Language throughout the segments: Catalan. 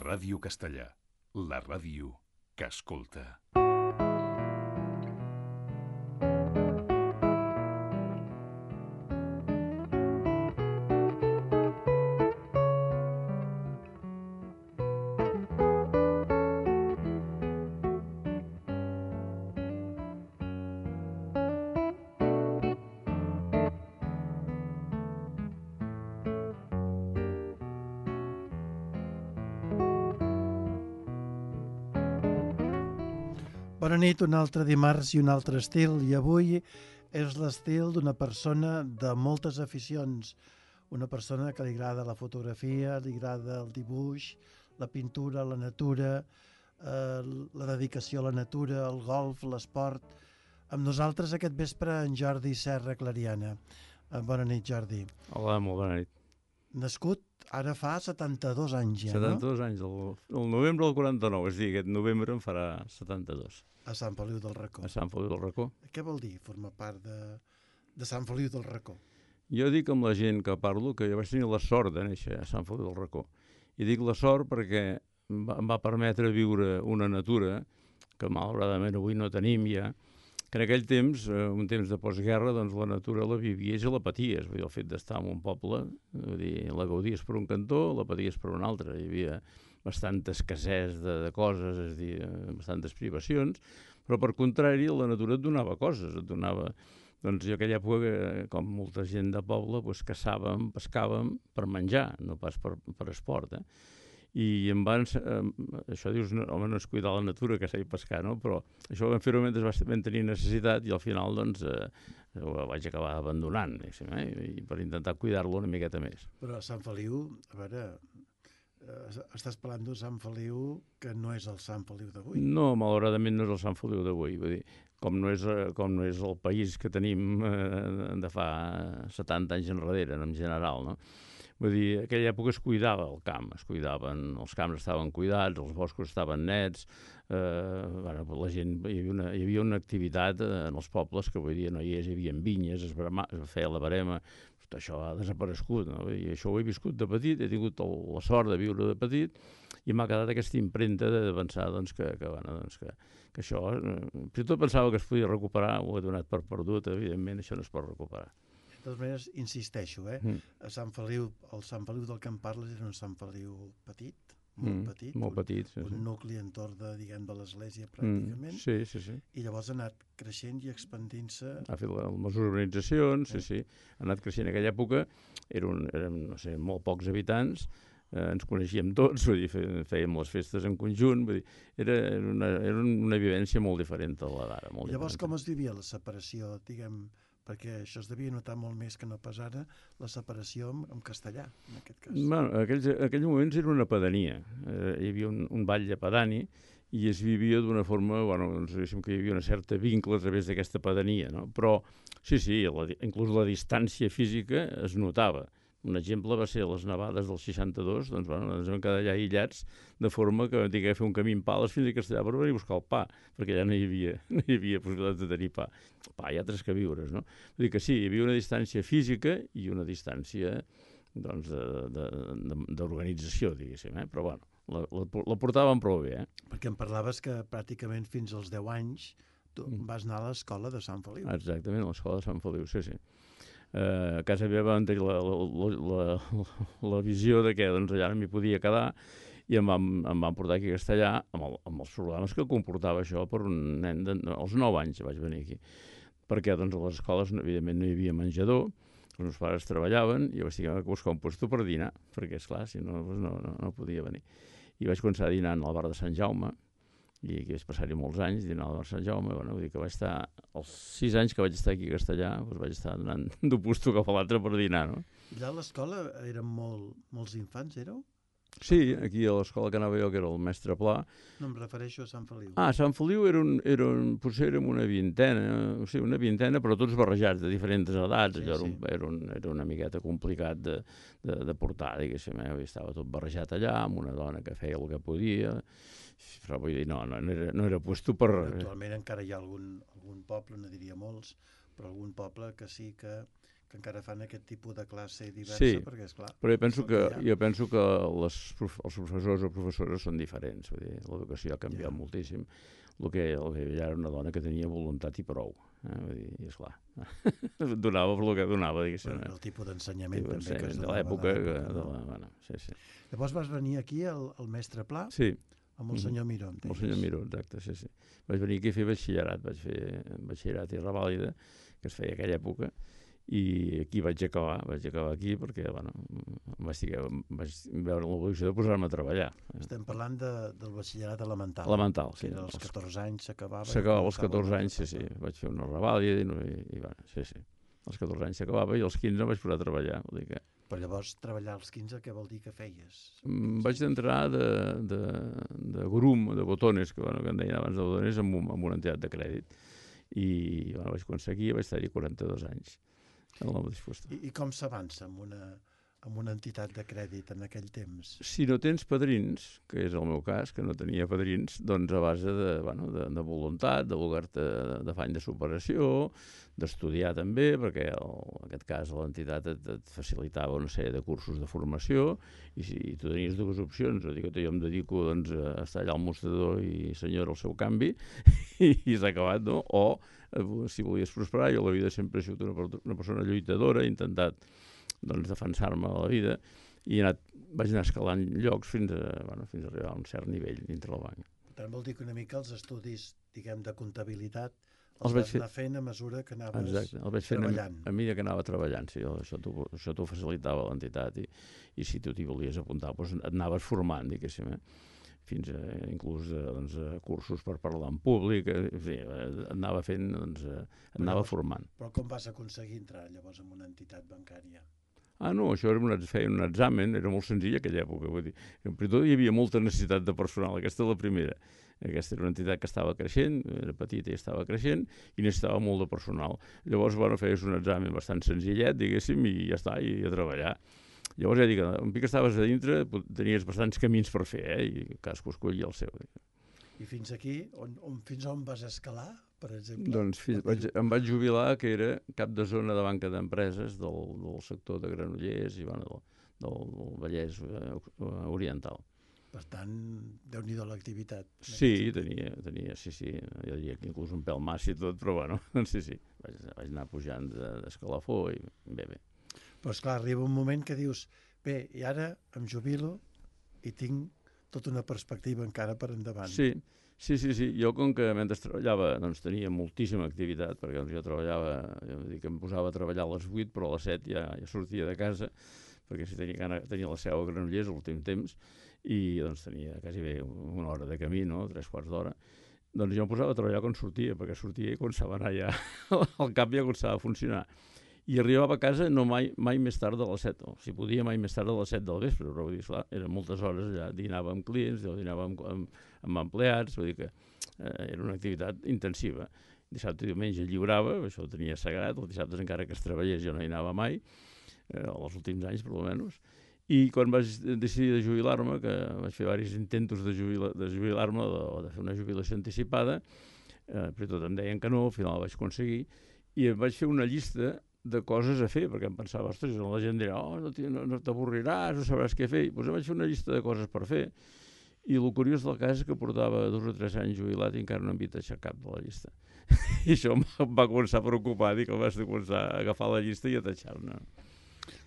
Ràdio Castellà, la ràdio que escolta. Bona nit, un altre dimarts i un altre estil, i avui és l'estil d'una persona de moltes aficions, una persona que li agrada la fotografia, li agrada el dibuix, la pintura, la natura, la dedicació a la natura, el golf, l'esport. Amb nosaltres aquest vespre en Jordi Serra Clariana. Bona nit, Jordi. Hola, molt bona nit. Nascut ara fa 72 anys ja, 72 anys, el novembre del 49, és a dir, aquest novembre en farà 72. A Sant Feliu del Racó. A Sant Feliu del Racó. Què vol dir formar part de Sant Feliu del Racó? Jo dic amb la gent que parlo que jo vaig tenir la sort de néixer a Sant Feliu del Racó. I dic la sort perquè em va permetre viure una natura que malauradament avui no tenim ja, que en aquell temps, un temps de postguerra, doncs la natura la vivies i la paties. Vull dir, el fet d'estar en un poble, vull dir, la gaudies per un cantó, la paties per un altre. Hi havia bastanta escassez de coses, és a dir, bastantes privacions, però per contrari la natura et donava coses, et donava... Doncs jo aquella època, com molta gent de poble, doncs caçàvem, pescàvem per menjar, no pas per esport, I em van... això dius, home, no és cuidar la natura, que s'ha de pescar, no? Però això ho vam fer-ho mentre vam tenir necessitat i al final, doncs, ho vaig acabar abandonant, i per intentar cuidar-lo una miqueta més. Però Sant Feliu, a veure, estàs parlant d'un Sant Feliu que no és el Sant Feliu d'avui. No, malauradament no és el Sant Feliu d'avui, vull dir, com no és el país que tenim de fa 70 anys enrere, en general, no? Vull dir, en aquella època es cuidava el camp, els camps estaven cuidats, els boscos estaven nets, la gent, hi havia una activitat en els pobles que, vull dir, no hi havia vinyes, es feia la verema, això ha desaparegut, no? I això ho he viscut de petit, he tingut la sort de viure de petit i m'ha quedat aquesta impremta de pensar doncs, que això, si tot pensava que es podia recuperar, ho he donat per perdut, evidentment això no es pot recuperar. De totes maneres, insisteixo, a Sant Feliu, el Sant Feliu del que em parles era un Sant Feliu petit, molt petit, sí. Un nucli entorn de l'església pràcticament, sí. I llavors ha anat creixent i expandint-se. Ha fet les urbanitzacions, sí, ha anat creixent. En aquella època érem, no sé, molt pocs habitants, ens coneixíem tots, vull dir, fèiem les festes en conjunt, vull dir, era una vivència molt diferent a la d'ara. Llavors, com es vivia la separació, diguem, perquè això es devia notar molt més que no pas ara, la separació en castellà, en aquest cas. Bueno, aquells moments era una pedania. Hi havia un batlle pedani i es vivia d'una forma, doncs diguéssim que hi havia una certa vincle a través d'aquesta pedania, no? Però, sí, inclús la distància física es notava. Un exemple va ser les nevades del 62, doncs ens vam quedar allà aïllats, de forma que vam haver de fer un camí en pales fins a Castellà per venir a buscar el pa, perquè allà no hi havia possibilitat de tenir pa. Pa i altres queviures, no? Vull dir que sí, hi havia una distància física i una distància doncs, d'organització, diguéssim, però bueno, la portàvem prou bé. Perquè em parlaves que pràcticament fins als 10 anys tu vas anar a l'escola de Sant Feliu. Exactament, a l'escola de Sant Feliu, sí. A casa meva vam tenir la visió de que doncs, allà no m'hi podia quedar i em van portar aquí a Castellà amb els problemes que comportava això per un nen als 9 anys vaig venir aquí, perquè doncs, a les escoles evidentment no hi havia menjador, els meus pares treballaven i vaig tenir que buscar un lloc per dinar, perquè esclar, si no, no podia venir. I vaig començar dinant al bar de Sant Jaume, i aquí vaig passar-hi molts anys dinant al bar de Sant Jaume, vull dir que vaig estar, els 6 anys que vaig estar aquí a Castellà, doncs vaig estar donant d'un puesto cap a l'altre per dinar, no? I allà a l'escola eren molts infants, éreu? Sí, aquí a l'escola que anava jo, que era el mestre Pla. No, em refereixo a Sant Feliu. Sant Feliu potser érem una vintena, però tots barrejats de diferents edats. Sí. Era una miqueta complicat de portar, diguéssim. Estava tot barrejat allà, amb una dona que feia el que podia, però vull dir, no era puesto per... Actualment encara hi ha algun poble, no diria molts, però algun poble que sí que que encara fan aquest tipus de classe diversa, Sí, perquè, esclar... però jo ha. penso que els professors o professores són diferents. Vull dir, l'educació ha canviat moltíssim. El que ja era una dona que tenia voluntat i prou. Vull dir, i esclar, donava per el que donava, diguéssim. El tipus d'ensenyament també que es de donava l'època. no? Sí. Llavors vas venir aquí al mestre Pla Sí. amb el senyor Miró. Amb el senyor Miró, exacte, sí. Vaig venir aquí a fer batxillerat, vaig fer batxillerat i revàlida, que es feia aquella època, i aquí vaig acabar aquí perquè, bueno, vaig veure l'obligació de posar-me a treballar. Estem parlant del batxillerat elemental. Elemental, sí. Que als 14 anys s'acabava. S'acabava als 14 anys, sí. Vaig fer una revàlida i bueno, sí. Als 14 anys s'acabava i als 15 vaig posar a treballar. Vull dir que... Però llavors treballar als 15 què vol dir que feies? Vaig entrar de grum, de botones, que en deien abans de botones, amb una entitat de crèdit. I bueno, vaig començar aquí i vaig estar-hi 42 anys. I com s'avança amb una entitat de crèdit en aquell temps? Si no tens padrins, que és el meu cas, que no tenia padrins, doncs a base de voluntat, de voler-te d'afany de superació, d'estudiar també, perquè en aquest cas l'entitat et facilitava una sèrie de cursos de formació, i si tu tenies dues opcions, o dir que jo em dedico doncs, a estar allà al mostrador i senyora el seu canvi, i s'ha acabat, no? O si volies prosperar, jo a la vida sempre he sigut una persona lluitadora, he intentat doncs, defensar-me a la vida i vaig anar escalant llocs fins a arribar a un cert nivell dintre el banc. Per tant, vol dir que una mica els estudis, diguem, de comptabilitat els vas anar fent a mesura que anaves treballant. Exacte, els vaig fent a mesura que anava treballant, sí, això t'ho facilitava l'entitat i si tu t'hi volies apuntar doncs et anaves formant, diguéssim, fins a inclús cursos per parlar en públic, anava fent, et anava formant. Però com vas aconseguir entrar llavors en una entitat bancària? No, això feia un examen, era molt senzill en aquella època, vull dir, per tot hi havia molta necessitat de personal, aquesta és la primera. Aquesta era una entitat que estava creixent, era petita i estava creixent, i necessitava molt de personal. Llavors, feies un examen bastant senzillet, diguéssim, i ja està, i a treballar. Llavors, ja dic, un pic que estaves a dintre, tenies bastants camins per fer, i cadascú escollia el seu. I fins aquí, fins on vas escalar, per exemple? Doncs em vaig jubilar, que era cap de zona de banca d'empreses del sector de Granollers i del Vallès Oriental. Per tant, Déu-n'hi-do l'activitat. Sí, tenia, sí, jo diria que inclús un pèl massa i tot, però sí, vaig anar pujant d'escalafó i bé. Però esclar, arriba un moment que dius, bé, i ara em jubilo i tinc tota una perspectiva encara per endavant. Sí. Jo, com que mentre treballava, doncs tenia moltíssima activitat, perquè jo treballava, em posava a treballar a les 8, però a les 7 ja sortia de casa, perquè tenia la seu a Granollers l'últim temps, i doncs tenia quasi bé una hora de camí, no? 3/4 d'hora. Doncs jo em posava a treballar quan sortia, perquè sortia i començava a anar ja, el cap ja començava a funcionar. I arribava a casa no mai més tard de les 7, o si podia mai més tard de les 7 del vespre, però vull dir, esclar, eren moltes hores allà, dinava amb clients, dinava amb empleats, vull dir que era una activitat intensiva. Dissabte i diumenge lliurava, això ho tenia sagrat, els dissabtes encara que es treballés jo no hi anava mai, els últims anys per almenys, i quan vaig decidir de jubilar-me, que vaig fer diversos intentos de jubilar-me o de fer una jubilació anticipada, però tot em deien que no, al final vaig aconseguir, i em vaig fer una llista de coses a fer, perquè em pensava, ostres, la gent dirà, no t'avorriràs, no sabràs què fer, doncs em vaig fer una llista de coses per fer, i el curiós del cas és que portava 2 o 3 anys jubilat i encara no m'havia tachat cap de la llista. I això em va començar a preocupar, dic, vaig començar a agafar la llista i a tachar-ne.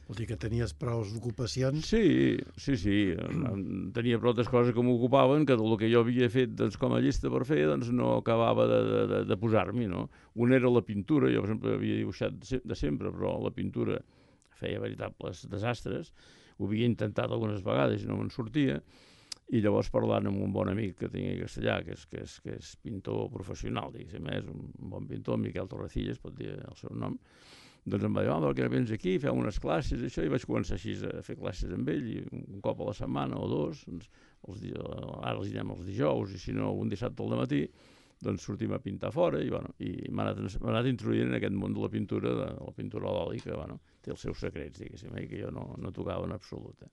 Vol dir que tenies prou ocupacions? Sí. Tenia prou altres coses que m'ocupaven, que el que jo havia fet com a llista per fer no acabava de posar-m'hi, no? Un era la pintura, jo per exemple havia dibuixat de sempre, però la pintura feia veritables desastres, ho havia intentat algunes vegades i no me'n sortia, i llavors parlant amb un bon amic que tenia a Castellà, que és pintor professional, diguéssim, és un bon pintor, Miquel Torrecillas, pot dir el seu nom, doncs em va dir, per què no vens aquí, fem unes classes, això, i vaig començar així a fer classes amb ell, i un cop a la setmana o 2, doncs, ara els anem els dijous, i si no, un dissabte al matí, doncs sortim a pintar fora, i m'ha anat introduint en aquest món de la pintura a l'oli, que té els seus secrets, diguéssim, que jo no tocava en absolut.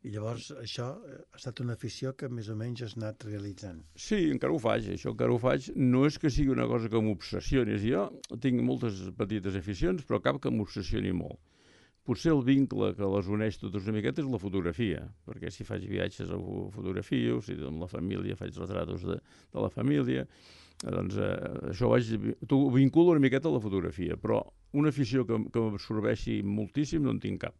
I llavors això ha estat una afició que més o menys has anat realitzant. Sí, encara ho faig, això encara ho faig. No és que sigui una cosa que m'obsessioni. Jo tinc moltes petites aficions, però cap que m'obsessioni molt. Potser el vincle que les uneix totes una miqueta és la fotografia, perquè si faig viatges ho fotografio, si amb la família faig retratos de la família, doncs això ho vinculo una miqueta a la fotografia, però una afició que m'absorbeixi moltíssim no en tinc cap.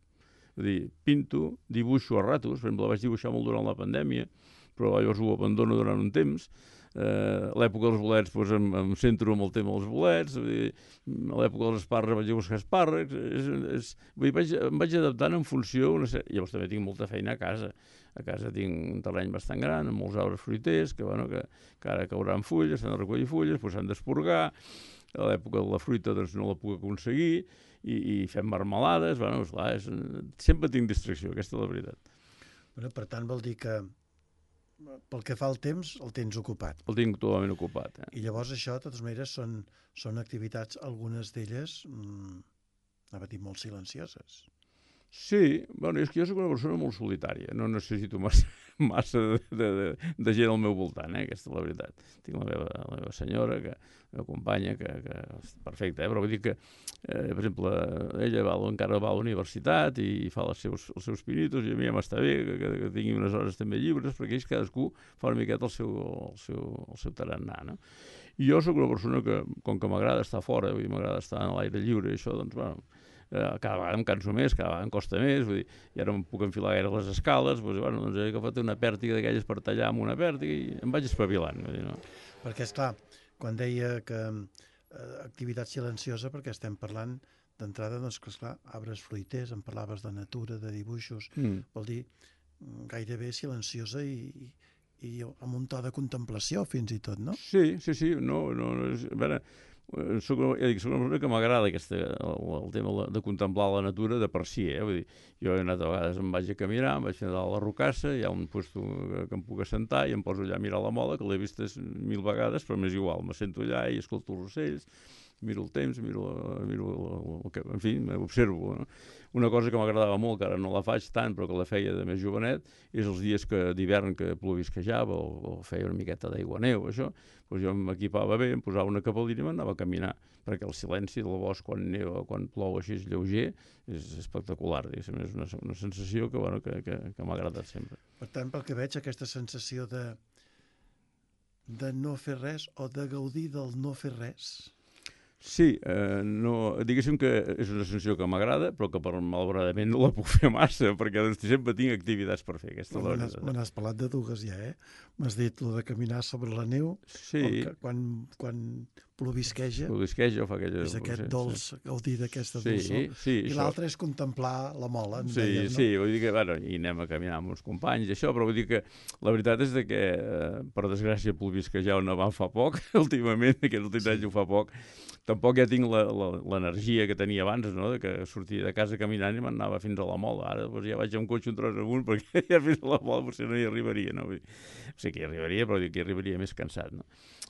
És a dir, pinto, dibuixo a ratos, per exemple, vaig dibuixar molt durant la pandèmia, però llavors ho abandono durant un temps. A l'època dels bolets doncs, em centro en el tema dels bolets, a l'època dels espàrrecs vaig a buscar espàrrecs, em vaig adaptant en funció... Llavors també tinc molta feina a casa. A casa tinc un terreny bastant gran, amb molts arbres fruiters, que ara cauran fulles, s'han de recollir fulles, doncs s'han d'esporgar. A l'època de la fruita doncs, no la puc aconseguir, i fem marmelades, esclar, sempre tinc distracció, aquesta és la veritat. Per tant, vol dir que pel que fa al temps, el tens ocupat. El tinc totalment ocupat. I llavors això, de totes maneres, són activitats, algunes d'elles, anava a dir, molt silencioses. Sí, és que jo soc una persona molt solitària, no necessito massa de gent al meu voltant, aquesta és la veritat. Tinc la meva senyora, la meva companya, que és perfecta, però vull dir que, per exemple, ella encara va a la universitat i fa els seus pinitos, i a mi ja m'està bé que tingui unes hores també lliures, perquè ells cadascú fa una miqueta el seu tarannà, no? I jo soc una persona que, com que m'agrada estar fora, m'agrada estar a l'aire lliure, i això, doncs, cada vegada em canso més, cada vegada em costa més, vull dir, ja no em puc enfilar gaire les escales, doncs he agafat una pèrtiga d'aquelles per tallar amb una pèrtiga i em vaig espavilant. Vull dir, no? Perquè, esclar, quan deia que activitat silenciosa, perquè estem parlant d'entrada, doncs, que, esclar, arbres fruiters, em parlaves de natura, de dibuixos, vol dir gairebé silenciosa i amb un to de contemplació, fins i tot, no? Sí, no, a veure, soc una persona que m'agrada el tema de contemplar la natura de per si, vull dir, jo he anat a vegades, em vaig a caminar, em vaig fer a la rocassa, hi ha un lloc que em puc assentar i em poso allà a mirar la mola, que l'he vist 1000 vegades, però m'és igual, m'assento allà i escolto els ocells, miro el temps, en fi, observo. No? Una cosa que m'agradava molt, que ara no la faig tant, però que la feia de més jovenet, és els dies d'hivern que plovisquejava o feia una miqueta d'aigua neu, això, doncs jo m'equipava bé, em posava una capellina i m'anava a caminar, perquè el silenci del bosc quan neva, quan plou així és lleuger, és espectacular, és una sensació que m'ha agradat sempre. Per tant, pel que veig, aquesta sensació de no fer res o de gaudir del no fer res. Sí, diguéssim que és una sensació que m'agrada, però que malauradament no la puc fer massa, perquè sempre tinc activitats per fer. Me n'has parlat de dues ja, M'has dit el de caminar sobre la neu, sí. Quan plovisqueja, o fa aquella... és aquest dolç, gaudir d'aquesta dolçor, i l'altre és contemplar la mola, deies, no? Sí, vull dir que, i anem a caminar amb uns companys, això, però vull dir que la veritat és que, per desgràcia, plovisquejar on va fa poc, últimament, aquest últim any ho fa poc, tampoc ja tinc l'energia que tenia abans, no?, que sortia de casa caminant i m'anava fins a la mola. Ara ja vaig amb cotxe un tros amunt perquè ja fins a la mola potser no hi arribaria, no? Sí que hi arribaria, però que hi arribaria més cansat, no?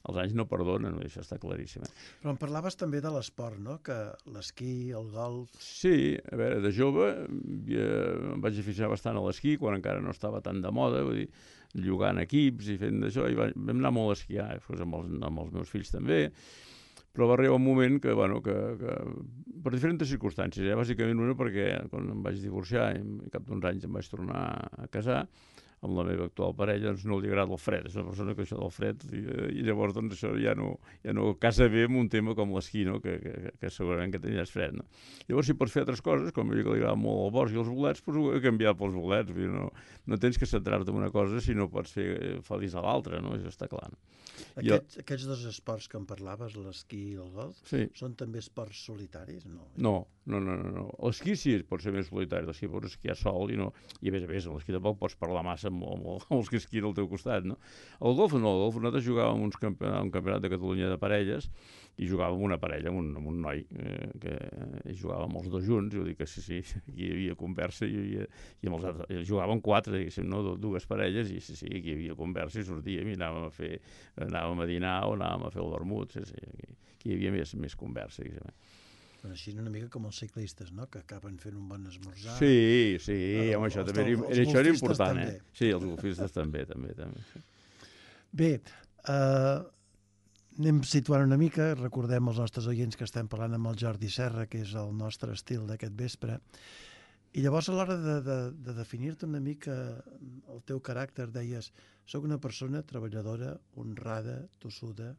Els anys no perdonen, això està claríssim. Però em parlaves també de l'esport, no?, que l'esquí, el golf... Sí, a veure, de jove em vaig aficionar bastant a l'esquí, quan encara no estava tan de moda, vull dir, llogant equips i fent d'això, i vam anar molt a esquiar, amb els meus fills també, però va arribar un moment que per diferents circumstàncies, bàsicament una perquè quan em vaig divorciar i cap d'uns anys em vaig tornar a casar, amb la meva actual parella, doncs no li agrada el fred, és una persona que això del fred, i llavors doncs això ja no casa bé amb un tema com l'esquí, no? que segurament que tenies fred. No? Llavors si pots fer altres coses, com a mi que li agrada molt el bosc i els bolets, doncs ho he canviat pels bolets, no tens que centrar-te en una cosa si no pots fer feliç a l'altra, no? Això està clar. No? Aquests dos esports que em parlaves, l'esquí i el golf, sí. Són també esports solitaris? No. L'esquí sí pot ser més solitari, l'esquí pots esquiar sol i a més, l'esquí tampoc pots parlar massa amb els que esquien al teu costat, no? El golf no, el golf nosaltres jugàvem un campionat de Catalunya de parelles i jugàvem una parella, amb un noi que jugàvem els dos junts, i ho dic que sí, aquí hi havia conversa i amb els altres, jugàvem quatre, diguéssim, no? Dues parelles, i sí, aquí hi havia conversa i sortíem i anàvem a dinar o anàvem a fer el vermut, aquí hi havia més conversa, diguéssim. Bueno, així una mica com els ciclistes, no?, que acaben fent un bon esmorzar. Sí, home, això també això era important, també. Sí, els golfistes també. Bé, anem situant una mica, recordem als nostres oients que estem parlant amb el Jordi Serra, que és el nostre estil d'aquest vespre, i llavors a l'hora de definir-te una mica el teu caràcter deies, soc una persona treballadora, honrada, tossuda.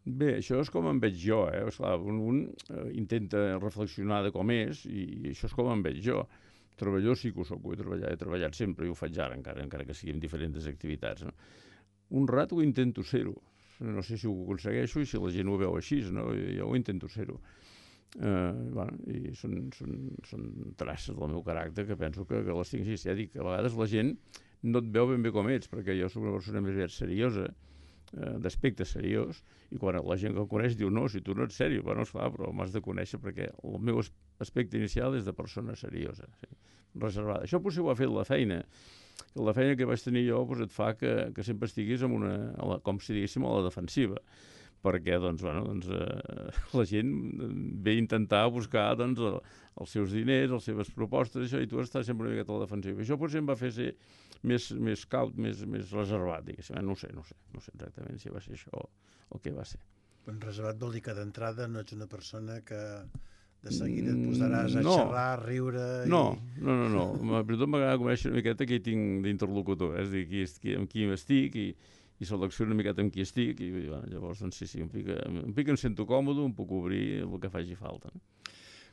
Bé, això és com em veig jo, Esclar, un intenta reflexionar de com és i això és com em veig jo. Treballador sí que ho soc, he treballat sempre i ho faig ara, encara que sigui en diferents activitats, no? Honrat ho intento ser-ho. No sé si ho aconsegueixo i si la gent ho veu així, no? Jo ho intento ser-ho. I són traces del meu caràcter que penso que les tinc així. Ja dic, a vegades la gent no et veu ben bé com ets, perquè jo soc una persona més aviat seriosa, d'aspecte seriós, i quan la gent que em coneix diu, no, si tu no ets seriós, bueno, esclar, però m'has de conèixer perquè el meu aspecte inicial és de persona seriosa, sí, reservada. Això potser ho ha fet la feina, que la feina que vaig tenir jo et fa que sempre estiguis com si diguéssim, a la defensiva, perquè la gent ve a intentar buscar els seus diners, les seves propostes, això, i tu estàs sempre una miqueta a la defensiva. Això potser em va fer ser més caut, més reservat, diguéssim. No sé exactament si va ser això o què va ser. Reservat vol dir que d'entrada no ets una persona que de seguida et posaràs a xerrar, a riure... No. Per tot m'agrada conèixer una miqueta què hi tinc d'interlocutor, és a dir, amb qui estic i selecciono una miqueta amb qui estic i llavors, sí, em sento còmode, em puc obrir el que faci falta.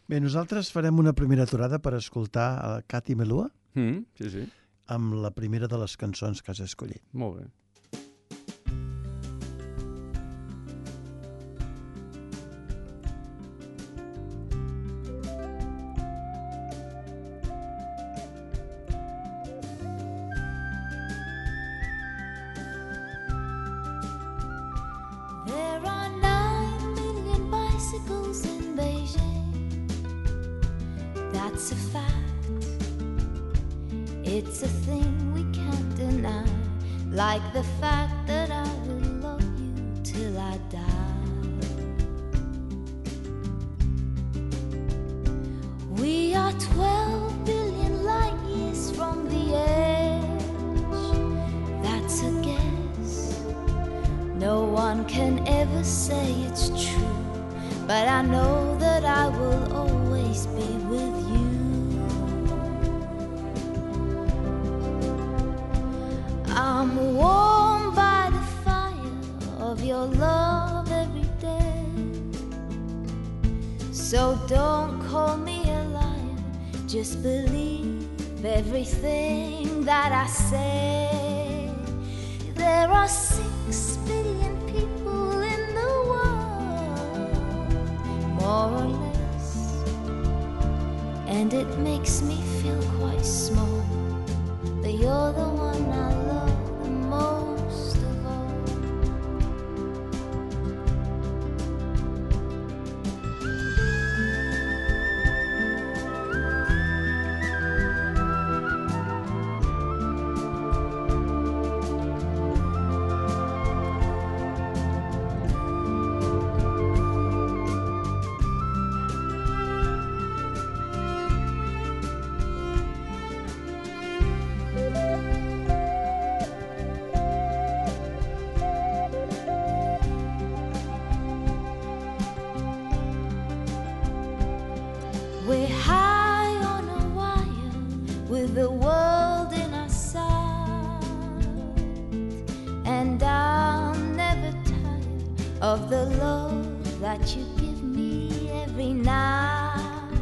Bé, nosaltres farem una primera aturada per escoltar a Cati Melua sí. amb la primera de les cançons que has escollit. Molt bé. That's a fact. It's a thing we can't deny, like the fact that I will love you till I die. We are 12 billion light years from the edge. That's a guess. No one can ever say it's true, but I know that I will always be with you. I'm warmed by the fire of your love every day. So don't call me a liar, just believe everything that I say. There are 6 billion people in the world, more or less, and it makes me feel quite small, but you're the one I love the most of all. We're high on a wire with the world in our sight, and I'm never tired of the love that you give me every night.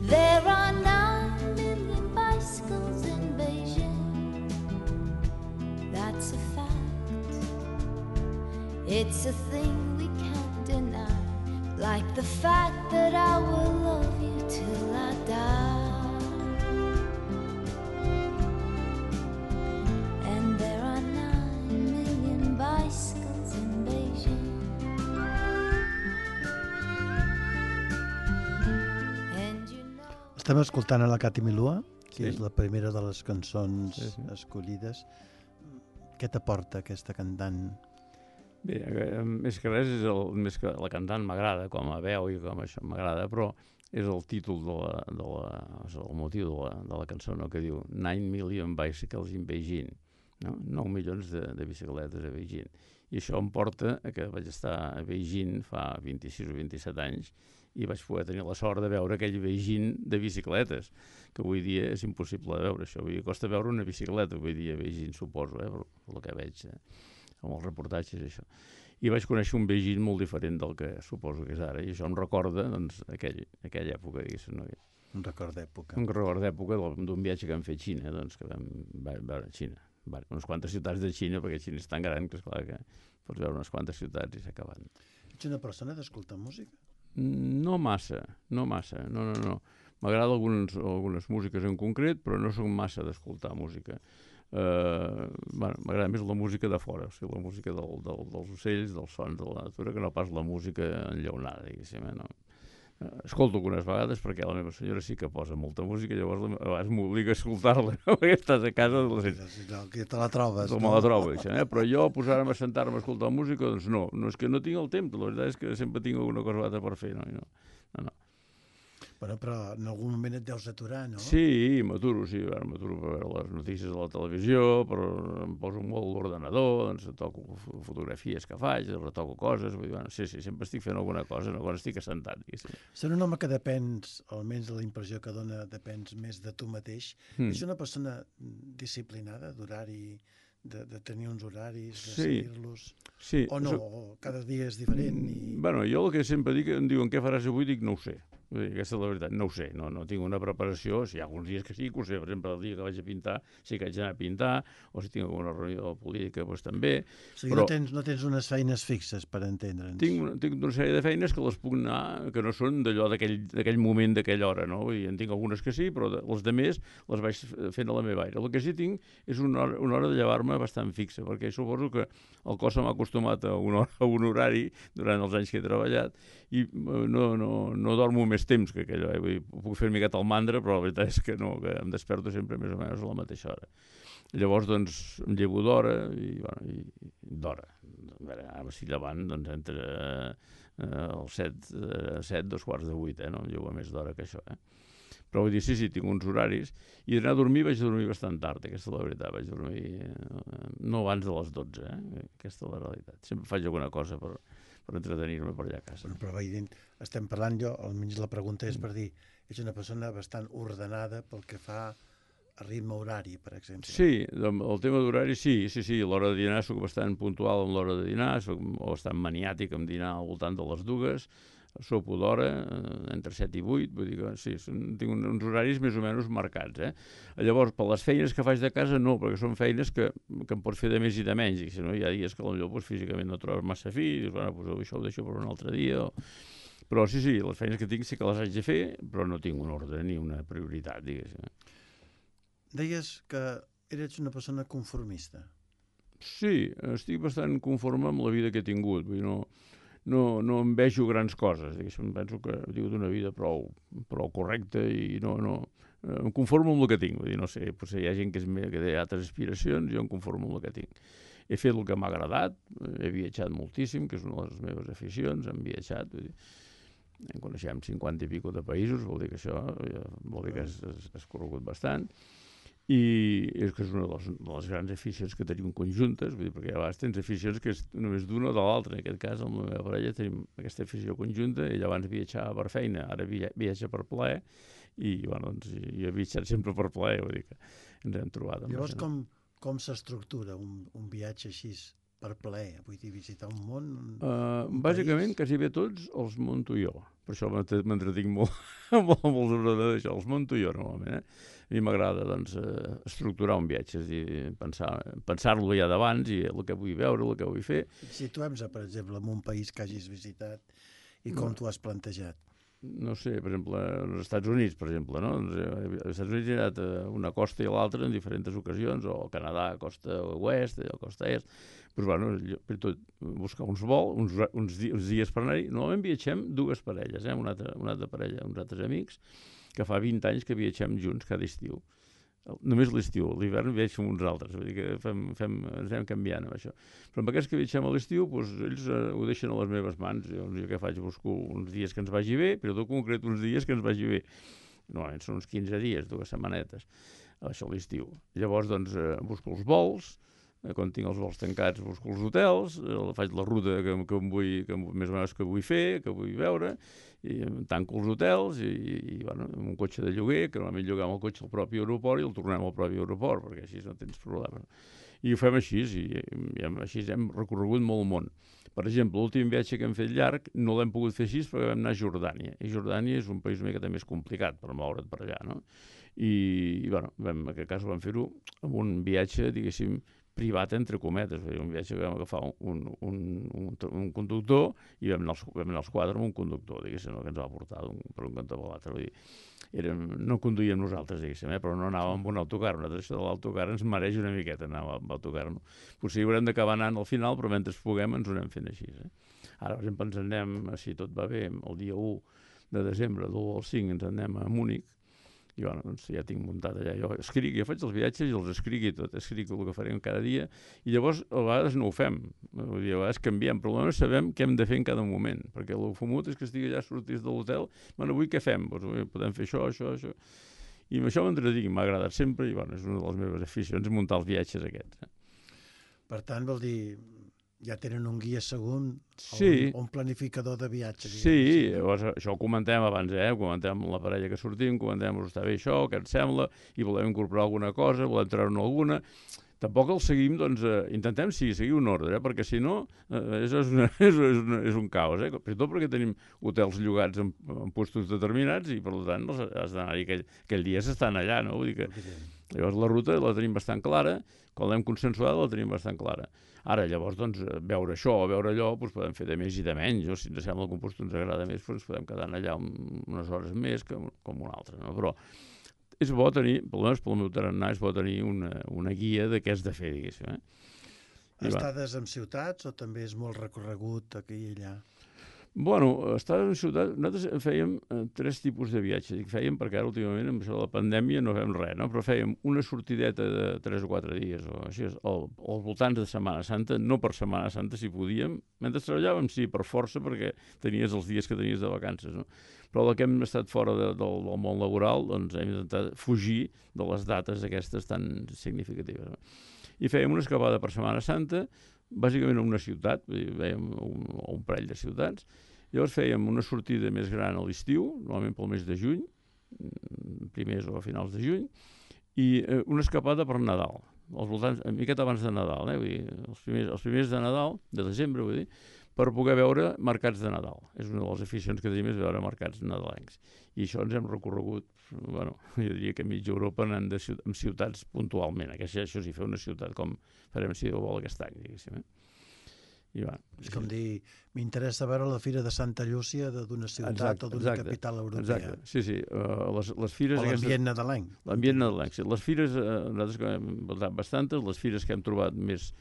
There are 9 million bicycles in Beijing. That's a fact. It's a thing we can't deny, like the fact that I will love you till I die. And there are 9 million bicycles in Beijing. And you know... Estem escoltant a la Cati Melua, que Sí. és la primera de les cançons Sí. escollides. Què t'aporta aquesta cantant? Bé, més que res, més que la cantant m'agrada, com a veu i com això m'agrada, però és el títol és el motiu de la cançó, no? Que diu 9 million bicycles in Beijing, no? 9 milions de bicicletes a Beijing. I això em porta a que vaig estar a Beijing fa 26 o 27 anys i vaig poder tenir la sort de veure aquell Beijing de bicicletes, que avui dia és impossible de veure això. Avui dia costa veure una bicicleta avui dia a Beijing, suposo, per el que veig amb els reportatges i això. I vaig conèixer un Beijing molt diferent del que suposo que és ara, i això em recorda, doncs, aquella època, diguéssim, no? Un record d'època. Un record d'època d'un viatge que vam fer a Xina, doncs, que vam veure Xina. Unes quantes ciutats de Xina, perquè Xina és tan gran que, esclar, que pots veure unes quantes ciutats i s'ha acabat. Ets una persona d'escoltar música? No massa, no. M'agrada algunes músiques en concret, però no soc massa d'escoltar música. M'agrada més la música de fora, o sigui, la música dels ocells, dels sons de la natura, que no pas la música enllaunada, diguéssim, no? Escolto algunes vegades perquè la meva senyora sí que posa molta música, llavors a vegades m'obliga a escoltar-la, no? Perquè estàs a casa... Que te la trobes, no? Me la trobo, però jo posar-me a sentar-me a escoltar música, doncs no és que no tinc el temps, la veritat és que sempre tinc alguna cosa altra per fer, no. Bueno, però en algun moment et deus aturar, no? Sí, m'aturo per veure les notícies a la televisió, però em poso molt l'ordenador, doncs toco fotografies que faig, retoco coses, vull dir, sí, sempre estic fent alguna cosa, no, quan estic assentat. Ser un home que depens, almenys de la impressió que dona, depens més de tu mateix. És una persona disciplinada, d'horari, de tenir uns horaris, de seguir-los? Sí. O no, cada dia és diferent? Bueno, jo el que sempre dic, em diuen què faràs avui, dic no ho sé. Aquesta és la veritat, no ho sé, no tinc una preparació, si hi ha alguns dies que sí, que ho sé, per exemple, el dia que vaig a pintar, sí que haig d'anar a pintar, o si tinc alguna reunió política, doncs també. O sigui, però no tens unes feines fixes, per entendre'ns. Tinc una sèrie de feines que les puc anar, que no són d'allò d'aquell moment, d'aquella hora, no? Vull dir, en tinc algunes que sí, però les demés les vaig fent a la meva aire. El que sí tinc és una hora de llevar-me bastant fixa, perquè suposo que el cos se m'ha acostumat a un horari durant els anys que he treballat i no dormo més temps que aquello, vull dir, puc fer una miqueta el mandra, però la veritat és que no, que em desperto sempre més o menys a la mateixa hora. Llavors, doncs, em llevo d'hora i d'hora. A veure, ara m'estic llevant, doncs, entre els 7, 7:45, no? Em llevo més d'hora que això, Però vull dir, sí, tinc uns horaris. I d'anar a dormir vaig dormir bastant tard, aquesta és la veritat. Vaig dormir no abans de les 12, Aquesta és la realitat. Sempre faig alguna cosa per entretenir-me per allà a casa. Però estem parlant, almenys la pregunta és per dir, ets una persona bastant ordenada pel que fa a ritme horari, per exemple. Sí, el tema d'horari sí, a l'hora de dinar soc bastant puntual amb l'hora de dinar, soc bastant maniàtic amb dinar al voltant de les 2, sopo d'hora, entre 7 i 8, vull dir que sí, tinc uns horaris més o menys marcats. Llavors, per les feines que faig de casa, no, perquè són feines que em pots fer de més i de menys, i si no hi ha dies que potser físicament no trobes massa fi, i dius, bueno, això ho deixo per un altre dia, però sí, les feines que tinc sí que les haig de fer, però no tinc un ordre ni una prioritat, diguéssim. Deies que eres una persona conformista. Sí, estic bastant conforme amb la vida que he tingut, vull dir, no em vejo grans coses, diguéssim, penso que he tingut una vida prou correcta i no em conformo amb el que tinc, vull dir, no sé, potser hi ha gent que té altres aspiracions, jo em conformo amb el que tinc. He fet el que m'ha agradat, he viatjat moltíssim, que és una de les meves aficions, hem viatjat, vull dir, coneixem 50 i pico de països, vol dir que això, vol dir que has corregut bastant, i és que és una de les grans aficions que tenim conjuntes, vull dir, perquè a vegades tens aficions que és només d'una o de l'altra. En aquest cas, amb la meva parella tenim aquesta afició conjunta, ella abans viatjava per feina, ara viatja per plaer, i bueno, doncs, jo he viatjat sempre per plaer, vull dir que ens hem trobat. Llavors, com s'estructura un viatge així per plaer? Vull dir, visitar un món? Bàsicament, quasi bé tots els monto jo. Per això m'entretinc molt amb els ordenadors, això, els monto jo normalment. A mi m'agrada estructurar un viatge, és dir, pensar-lo ja d'abans i el que vull veure, el que vull fer. Situem-se, per exemple, en un país que hagis visitat i com t'ho has plantejat. No sé, per exemple, als Estats Units, per exemple, no? Als Estats Units he anat a una costa i a l'altra en diferents ocasions, o al Canadà, a costa oest, o a costa est. Però, bueno, per tot, buscar uns vols, uns dies per anar-hi. Normalment viatgem 2 parelles, una altra parella, uns altres amics, que fa 20 anys que viatgem junts cada estiu. Només l'estiu, l'hivern viatjo amb uns altres, vull dir que ens anem canviant amb això. Però amb aquests que viatgem a l'estiu, doncs, ells ho deixen a les meves mans. Jo què faig? Busco uns dies que ens vagi bé, però tot concret uns dies que ens vagi bé. Normalment són uns 15 dies, 2 setmanetes, això a l'estiu. Llavors, doncs, busco els vols, quan tinc els vols tancats busco els hotels, faig la ruta que més o menys que vull fer, que vull veure, i tanco els hotels i bueno, amb un cotxe de lloguer, que normalment lloguem el cotxe al propi aeroport i el tornem al propi aeroport, perquè així no tens problemes. I ho fem així, i així hem recorregut molt el món. Per exemple, l'últim viatge que hem fet llarg no l'hem pogut fer així perquè vam anar a Jordània. I Jordània és un país una mica més complicat per moure't per allà, no? I bueno, en aquest cas vam fer-ho amb un viatge, diguéssim, privat, entre cometes. Un viatge que vam agafar un conductor i vam anar els 4 amb un conductor, diguéssim, que ens va portar per un cantó per l'altre. Vull dir, no conduïem nosaltres, diguéssim, però no anàvem amb un autocar. Això de l'autocar ens mereix una miqueta anar amb autocar. No? Potser haurem d'acabar anant al final, però mentre puguem ens ho anem fent així. Ara, per exemple, ens anem, si tot va bé, el dia 1 de desembre, de l'1 al 5, ens anem a Múnich. I bueno, doncs ja tinc muntat allà. Jo faig els viatges i els escric i tot. Escric el que farem cada dia. I llavors, a vegades no ho fem. Vull dir, a vegades canviem. Però almenys sabem què hem de fer en cada moment. Perquè el fumut és que estigui allà, sortís de l'hotel. Bueno, avui què fem? Doncs podem fer això. I amb això m'entretinc. M'ha agradat sempre. I bueno, és una de les meves aficions, muntar els viatges aquests. Per tant, vol dir... ja tenen un guia segur, sí. un planificador de viatge. Sí, llavors això ho comentem abans, ho comentem amb la parella que sortim, comentem, està bé això, què et sembla, i volem incorporar alguna cosa, volem treure-ne alguna. Tampoc el seguim, doncs, intentem seguir un ordre, perquè si no és un caos. Tot perquè tenim hotels llogats en puestos determinats i, per tant, has d'anar-hi aquell dia s'estan allà, no? Vull dir que... Llavors la ruta la tenim bastant clara, quan l'hem consensuada la tenim bastant clara. Ara, llavors, doncs, veure això o veure allò, doncs podem fer de més i de menys. Si ens sembla que un lloc ens agrada més, doncs podem quedar allà unes hores més que com una altra. No? Però és bo tenir, almenys pel meu tarannà, és bo tenir una guia de què has de fer, diguéssim. Estades en ciutats o també és molt recorregut aquí i allà? Bueno, estades en ciutats, nosaltres fèiem 3 tipus de viatges. I fèiem, perquè ara últimament amb això de la pandèmia no fem res, no? Però fèiem una sortideta de 3 o 4 dies o així, als voltants de Setmana Santa, no per Setmana Santa si podíem. Mentre treballàvem, sí, per força, perquè tenies els dies que tenies de vacances, no? Però la que hem estat fora del món laboral, doncs hem intentat fugir de les dates aquestes tan significatives. No? I fèiem una escapada per Setmana Santa, bàsicament a una ciutat, vèiem un parell de ciutats. Llavors fèiem una sortida més gran a l'estiu, normalment pel mes de juny, primers o a finals de juny, i una escapada per Nadal, als voltants, una miqueta abans de Nadal, vull dir, els primers de Nadal, de desembre, vull dir, per poder veure mercats de Nadal. És una de les aficions que tenim, és veure mercats nadalencs. I això ens hem recorregut, bueno, jo diria que mitja Europa anant en ciutats puntualment. Això sí, fer una ciutat com farem si Déu vol aquest any, diguéssim. I va. És com dir, m'interessa veure la Fira de Santa Llúcia d'una ciutat o d'una capital europea. Exacte, sí. Les fires... O l'ambient nadalenc. L'ambient nadalenc, sí. Les fires, nosaltres que hem visitat bastantes, les fires que hem trobat més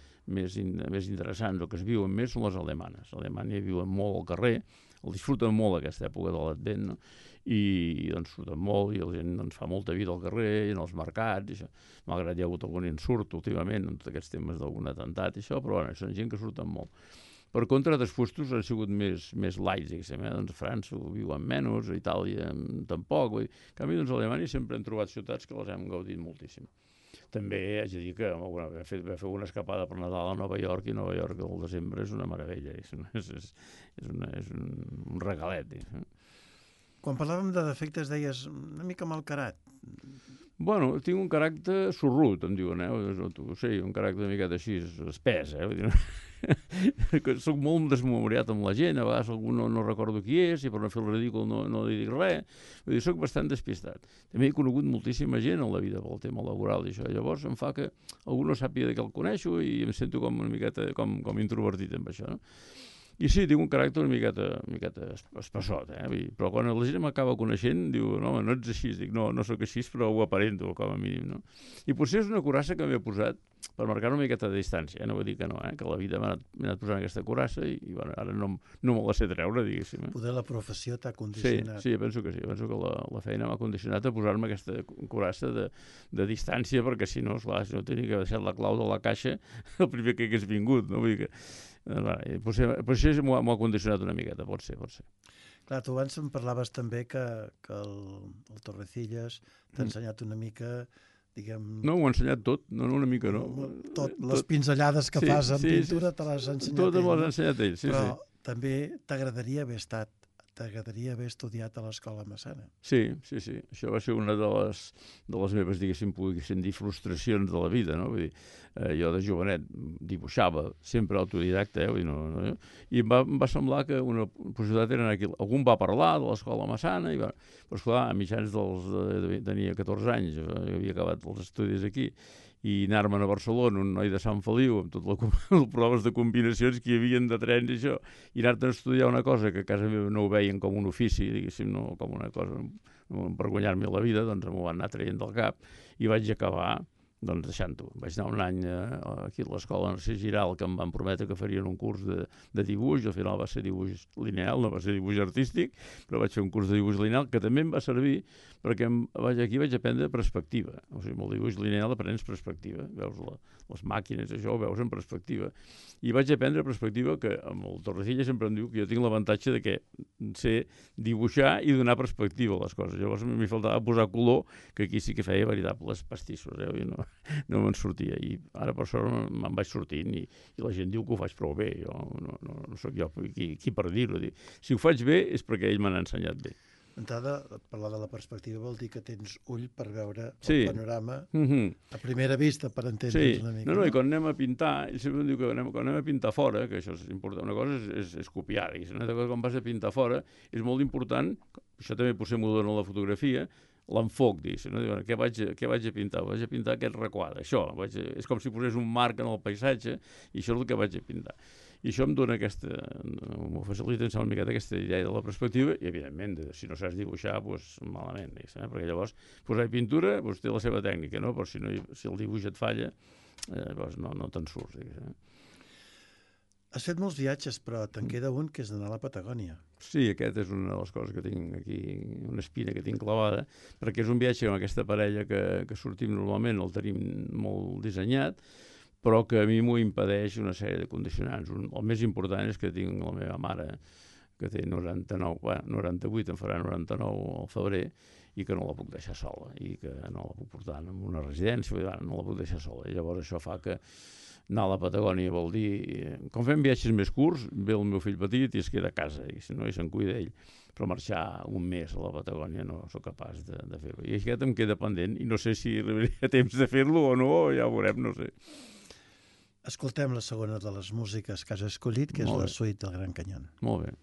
interessants o que es viuen més són les alemanes. A Alemanya viuen molt al carrer, el disfruten molt aquesta època de l'Advent, no? I doncs surten molt i la gent doncs, fa molta vida al carrer i en els mercats i això. Malgrat hi ha hagut algun insurt últimament en tots aquests temes d'algun atemptat i això, però bueno, són gent que surten molt. Per contra, altres puestos han sigut més lights, diguéssim, doncs a França ho viuen menys, a Itàlia tampoc. En canvi, doncs a Alemanya sempre hem trobat ciutats que les hem gaudit moltíssim. També haig de dir que vam fer una escapada per Nadal a Nova York i Nova York al desembre és una meravella, és un regalet. Quan parlàvem de defectes deies una mica malcarat. Bueno, tinc un caràcter sorrut, em diuen, sí, un caràcter una miqueta així, espès, Soc molt desmemoriat amb la gent, a vegades algú no recordo qui és i per no fer el ridícul no li dic res. Vull dir, soc bastant despistat. També he conegut moltíssima gent a la vida pel tema laboral i això. Llavors em fa que algú no sàpiga de què el coneixo i em sento com una miqueta com introvertit amb això, no? I sí, tinc un caràcter una miqueta espassot, però quan la gent m'acaba coneixent, diu, no, no ets així. Dic, no, no sóc així, però ho aparento, com a mínim, no? I potser és una curassa que m'he posat per marcar una miqueta de distància, no vull dir que no, que la vida m'ha anat posant aquesta curassa i bueno, ara no me la sé treure, diguéssim. Poder la professió t'ha condicionat. Sí, penso que sí. Penso que la feina m'ha condicionat a posar-me aquesta curassa de distància, perquè si no, esclar, si no tenia que deixar la clau de la caixa el primer que hagués vingut, no? Vull dir que potser m'ho ha condicionat una miqueta, pot ser. Clar, tu abans em parlaves també que el Torrecillas t'ha ensenyat una mica, diguem... No, ho ha ensenyat tot, no una mica, no. Les pinzellades que fas en pintura te les ha ensenyat ell. Tot me les ha ensenyat ell, sí. Però també t'agradaria haver estudiat a l'Escola Massana. Sí. Això va ser una de les meves, diguéssim dir, frustracions de la vida, no? Vull dir, jo de jovenet dibuixava, sempre autodidacta, i em va semblar que una possibilitat era anar aquí. Algú va parlar de l'Escola Massana, però esclar, a mitjans tenia 14 anys, havia acabat els estudis aquí, i anar-me'n a Barcelona, un noi de Sant Feliu, amb totes les proves de combinacions que hi havia de trens i això, i anar-te'n a estudiar una cosa que a casa meva no ho veien com un ofici, diguéssim, no com una cosa per guanyar-me la vida, doncs m'ho van anar traient del cap i vaig acabar deixant-ho. Vaig anar un any aquí a l'escola Narcís Giral, que em van prometre que farien un curs de dibuix, al final va ser dibuix lineal, no va ser dibuix artístic, però vaig fer un curs de dibuix lineal que també em va servir perquè aquí vaig aprendre perspectiva. O sigui, amb el dibuix lineal aprens perspectiva, veus les màquines, això ho veus en perspectiva. I vaig aprendre perspectiva que amb el Torrecilla sempre em diu que jo tinc l'avantatge de que sé dibuixar i donar perspectiva a les coses. Llavors m'hi faltava posar color, que aquí sí que feia veritables pastissos, i no me'n sortia. I ara per sort me'n vaig sortint i la gent diu que ho faig prou bé. Jo no sóc jo qui per dir-ho. Si ho faig bé és perquè ell m'ha ensenyat bé. D'entrada, parlar de la perspectiva vol dir que tens ull per veure el panorama a primera vista, per entendre's una mica. No, i quan anem a pintar, ell sempre em diu que quan anem a pintar fora, que això és important, una cosa és copiar, i una altra cosa quan vas a pintar fora és molt important, això també potser m'ho dona la fotografia, l'enfoc, què vaig a pintar? Vaig a pintar aquest requadre, això, és com si posés un marc en el paisatge i això és el que vaig a pintar. I això em dona m'ho facilita una miqueta aquesta idea de la perspectiva i, evidentment, si no saps dibuixar, doncs malament, perquè llavors posar pintura té la seva tècnica, no? Però si el dibuix et falla, llavors no te'n surts. Has fet molts viatges, però te'n queda un que és d'anar a la Patagònia. Sí, aquest és una de les coses que tinc aquí, una espina que tinc clavada, perquè és un viatge amb aquesta parella que sortim normalment, el tenim molt dissenyat, però que a mi m'ho impedeix una sèrie de condicionants. El més important és que tinc la meva mare, que té 98, en farà 99 al febrer, i que no la puc deixar sola, i que no la puc portar en una residència, no la puc deixar sola. I llavors això fa que anar a la Patagònia vol dir... Com fem viatges més curts, ve el meu fill petit i es queda a casa, i si no, se'n cuida ell. Però marxar un mes a la Patagònia no sóc capaç de fer-ho. I aquest em queda pendent, i no sé si arribaria temps de fer-lo o no, ja ho veurem, no sé. Escoltem la segona de les músiques que has escollit, que és la suite del Gran Canyón. Molt bé.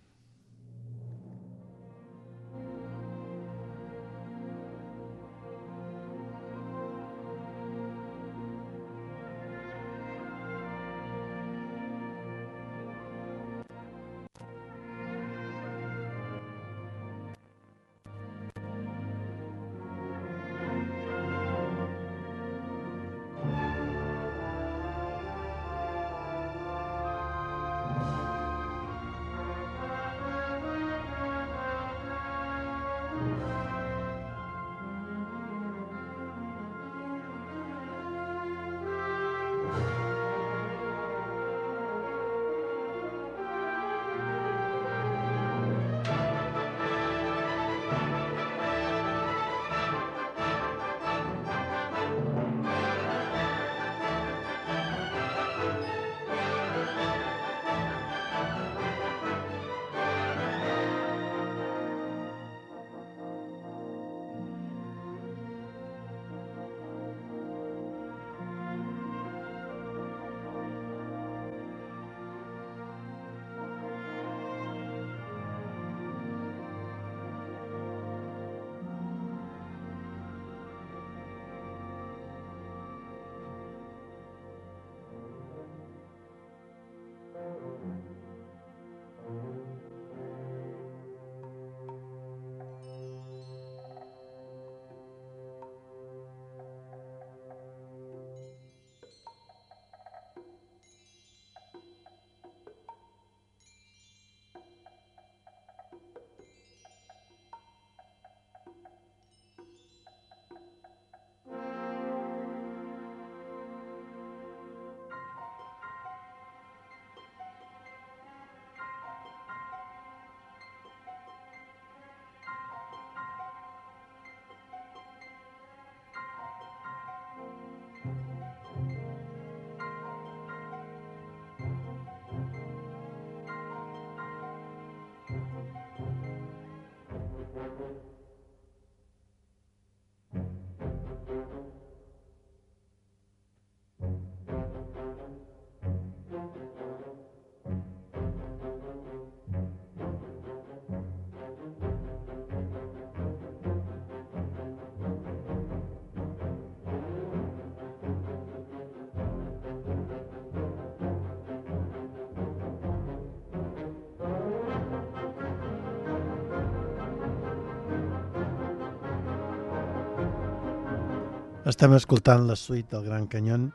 Estem escoltant la suite del Gran Canyon,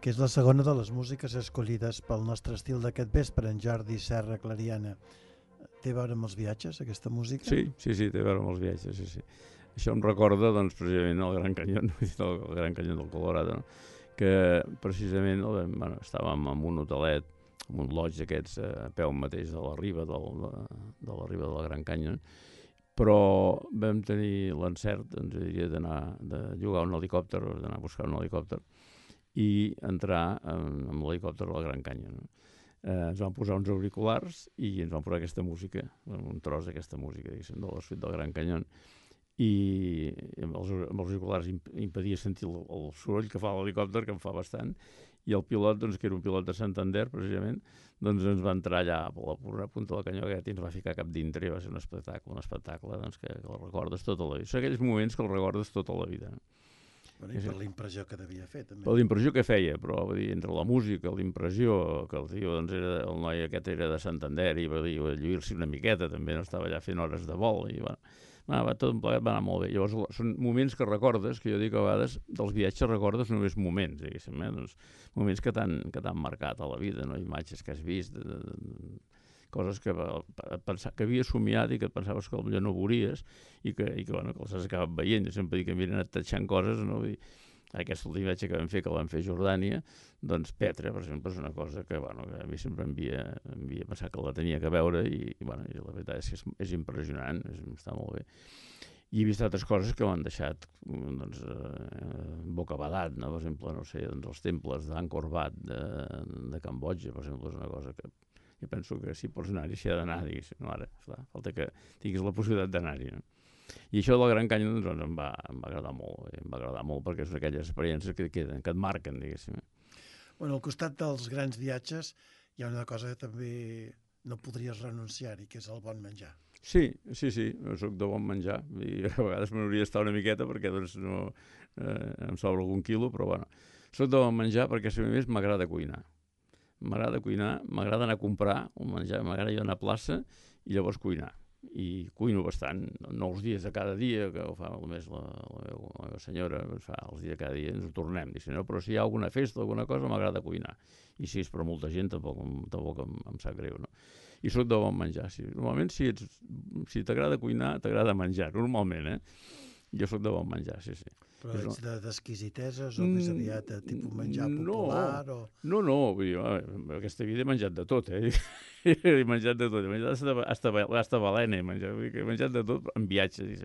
que és la segona de les músiques escollides pel nostre estil d'aquest vespre, en Jordi Serra Clariana. Té a veure amb els viatges, aquesta música? Sí, té a veure amb els viatges, sí. Això em recorda, doncs, precisament el Gran Canyon, el Gran Canyon del Colorado, no? Que precisament estàvem en un hotelet, en un lodge d'aquests a peu mateix de la riba del Gran Canyon, però vam tenir l'encert, de llogar un helicòpter, d'anar a buscar un helicòpter i entrar amb l'helicòpter al Gran Canyon. Ens van posar uns auriculars i ens van posar aquesta música, un tros d'aquesta música, diguéssim, de la suite del Gran Canyon, i amb els auriculars impedia sentir el soroll que fa l'helicòpter, que en fa bastant, i el pilot, doncs, que era un pilot de Santander, precisament, doncs ens va entrar allà a la pura punta del canyó aquest i ens va ficar cap dintre i va ser un espectacle doncs, que el recordes tota la vida. Són aquells moments que el recordes tota la vida. Bueno, i per l'impressió que devia fer, també. Per l'impressió que feia, però va dir, entre la música, l'impressió, que el tio, doncs, el noi aquest era de Santander i va dir, lluir-s'hi una miqueta, també no estava allà fent hores de vol, i tot plegat va anar molt bé. Llavors, són moments que recordes, que jo dic a vegades, dels viatges recordes només moments, diguéssim, doncs, moments que t'han marcat a la vida, no? Imatges que has vist, coses que havies somiat i que et pensaves que potser no veuries i que els has acabat veient. Jo sempre dic que m'he anat tatxant coses, no? Vull dir, aquest últim viatge que vam fer a Jordània, doncs Petra, per exemple, és una cosa que, que a mi sempre m'havia pensat que la tenia que veure i la veritat és que és impressionant, està molt bé. I he vist altres coses que m'han deixat bocabadat, no? Per exemple, no sé, els temples d'Angkor Wat de Cambodja, per exemple, és una cosa que jo penso que si pots anar-hi, s'hi ha d'anar, diguéssim, no? Ara, falta que tinguis la possibilitat d'anar-hi, no? I això del Gran Canyon doncs, em va agradar molt, perquè és aquelles experiències que queden, que et marquen, diguéssim. Bueno, al costat dels grans viatges hi ha una cosa que també no podries renunciar-hi, que és el bon menjar. Sí, jo soc de bon menjar, i a vegades me n'hauria d'estar una miqueta perquè doncs, no, em sobra algun quilo, però soc de bon menjar perquè a més m'agrada cuinar. M'agrada anar a comprar un menjar, m'agrada ir a una plaça i llavors cuinar. I cuino bastant, no els dies de cada dia, que ho fa només la meva senyora, fa els dies de cada dia ens ho tornem, però si hi ha alguna festa, alguna cosa, m'agrada cuinar. I si és per molta gent, tampoc em sap greu, no? I soc de bon menjar. Normalment, si t'agrada cuinar, t'agrada menjar, normalment, Jo soc de bon menjar, sí. Però ets d'exquisiteses o més aviat de tipus menjar popular? No, vull dir, aquesta vida he menjat de tot, He menjat de tot, he menjat hasta balena, he menjat de tot en viatges,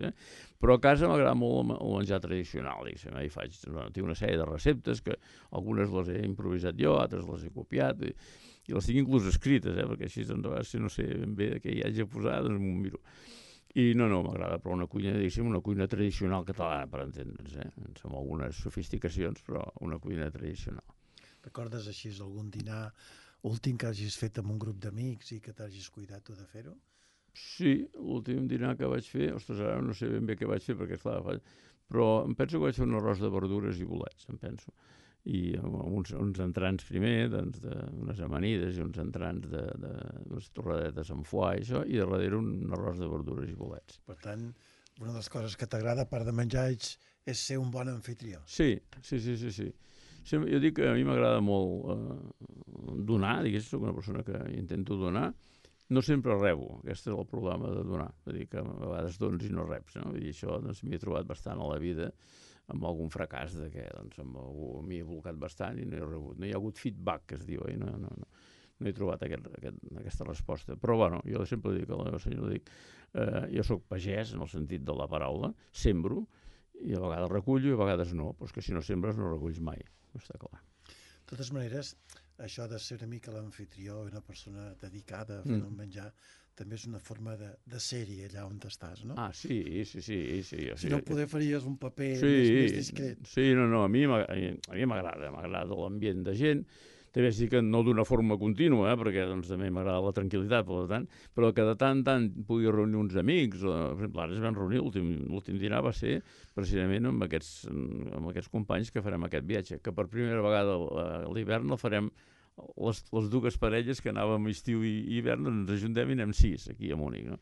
Però a casa m'agrada molt el menjar tradicional, i tinc una sèrie de receptes que algunes les he improvisat jo, altres les he copiat, i les tinc inclús escrites, perquè així, si no sé ben bé què hi hagi a posar, doncs m'ho miro. I no, m'agrada, però una cuina tradicional catalana, per entendre'ns, amb algunes sofisticacions, però una cuina tradicional. Recordes així algun dinar últim que hagis fet amb un grup d'amics i que t'hagis cuidat tu de fer-ho? Sí, l'últim dinar que vaig fer, ara no sé ben bé què vaig fer, perquè esclar, però em penso que vaig fer un arròs de verdures i bolets, em penso. I uns entrants primer, unes amanides i uns entrants unes torradetes amb foie i darrere un arròs de verdures i bolets. Per tant, una de les coses que t'agrada, a part de menjar, és ser un bon anfitrió. Sí. Jo dic que a mi m'agrada molt donar, soc una persona que intento donar. No sempre rebo, aquest és el problema de donar, vull dir que a vegades dones i no reps, no? Vull dir, això m'hi he trobat bastant a la vida, amb algun fracàs de què, m'hi he blocat bastant i no he rebut. No hi ha hagut feedback, que es diu, no he trobat aquesta resposta. Però, jo sempre dic a la meva senyora, jo soc pagès, en el sentit de la paraula, sembro, i a vegades recullo i a vegades no, però és que si no sembres no reculls mai, no està clar. De totes maneres, això de ser una mica l'anfitrió, una persona dedicada a fer el menjar, també és una forma de ser-hi allà on estàs, no? Ah, sí. Si no poder faries un paper més discret. Sí, no, a mi m'agrada l'ambient de gent. També sí que no d'una forma contínua, perquè doncs, també m'agrada la tranquil·litat, per tant, però que de tant en tant pugui reunir uns amics. Per exemple, ara es van reunir, l'últim dinar va ser precisament amb aquests companys que farem aquest viatge, que per primera vegada a l'hivern el farem les dues parelles que anàvem estiu i hivern, ens ajuntem i anem 6 aquí a Múnich, no?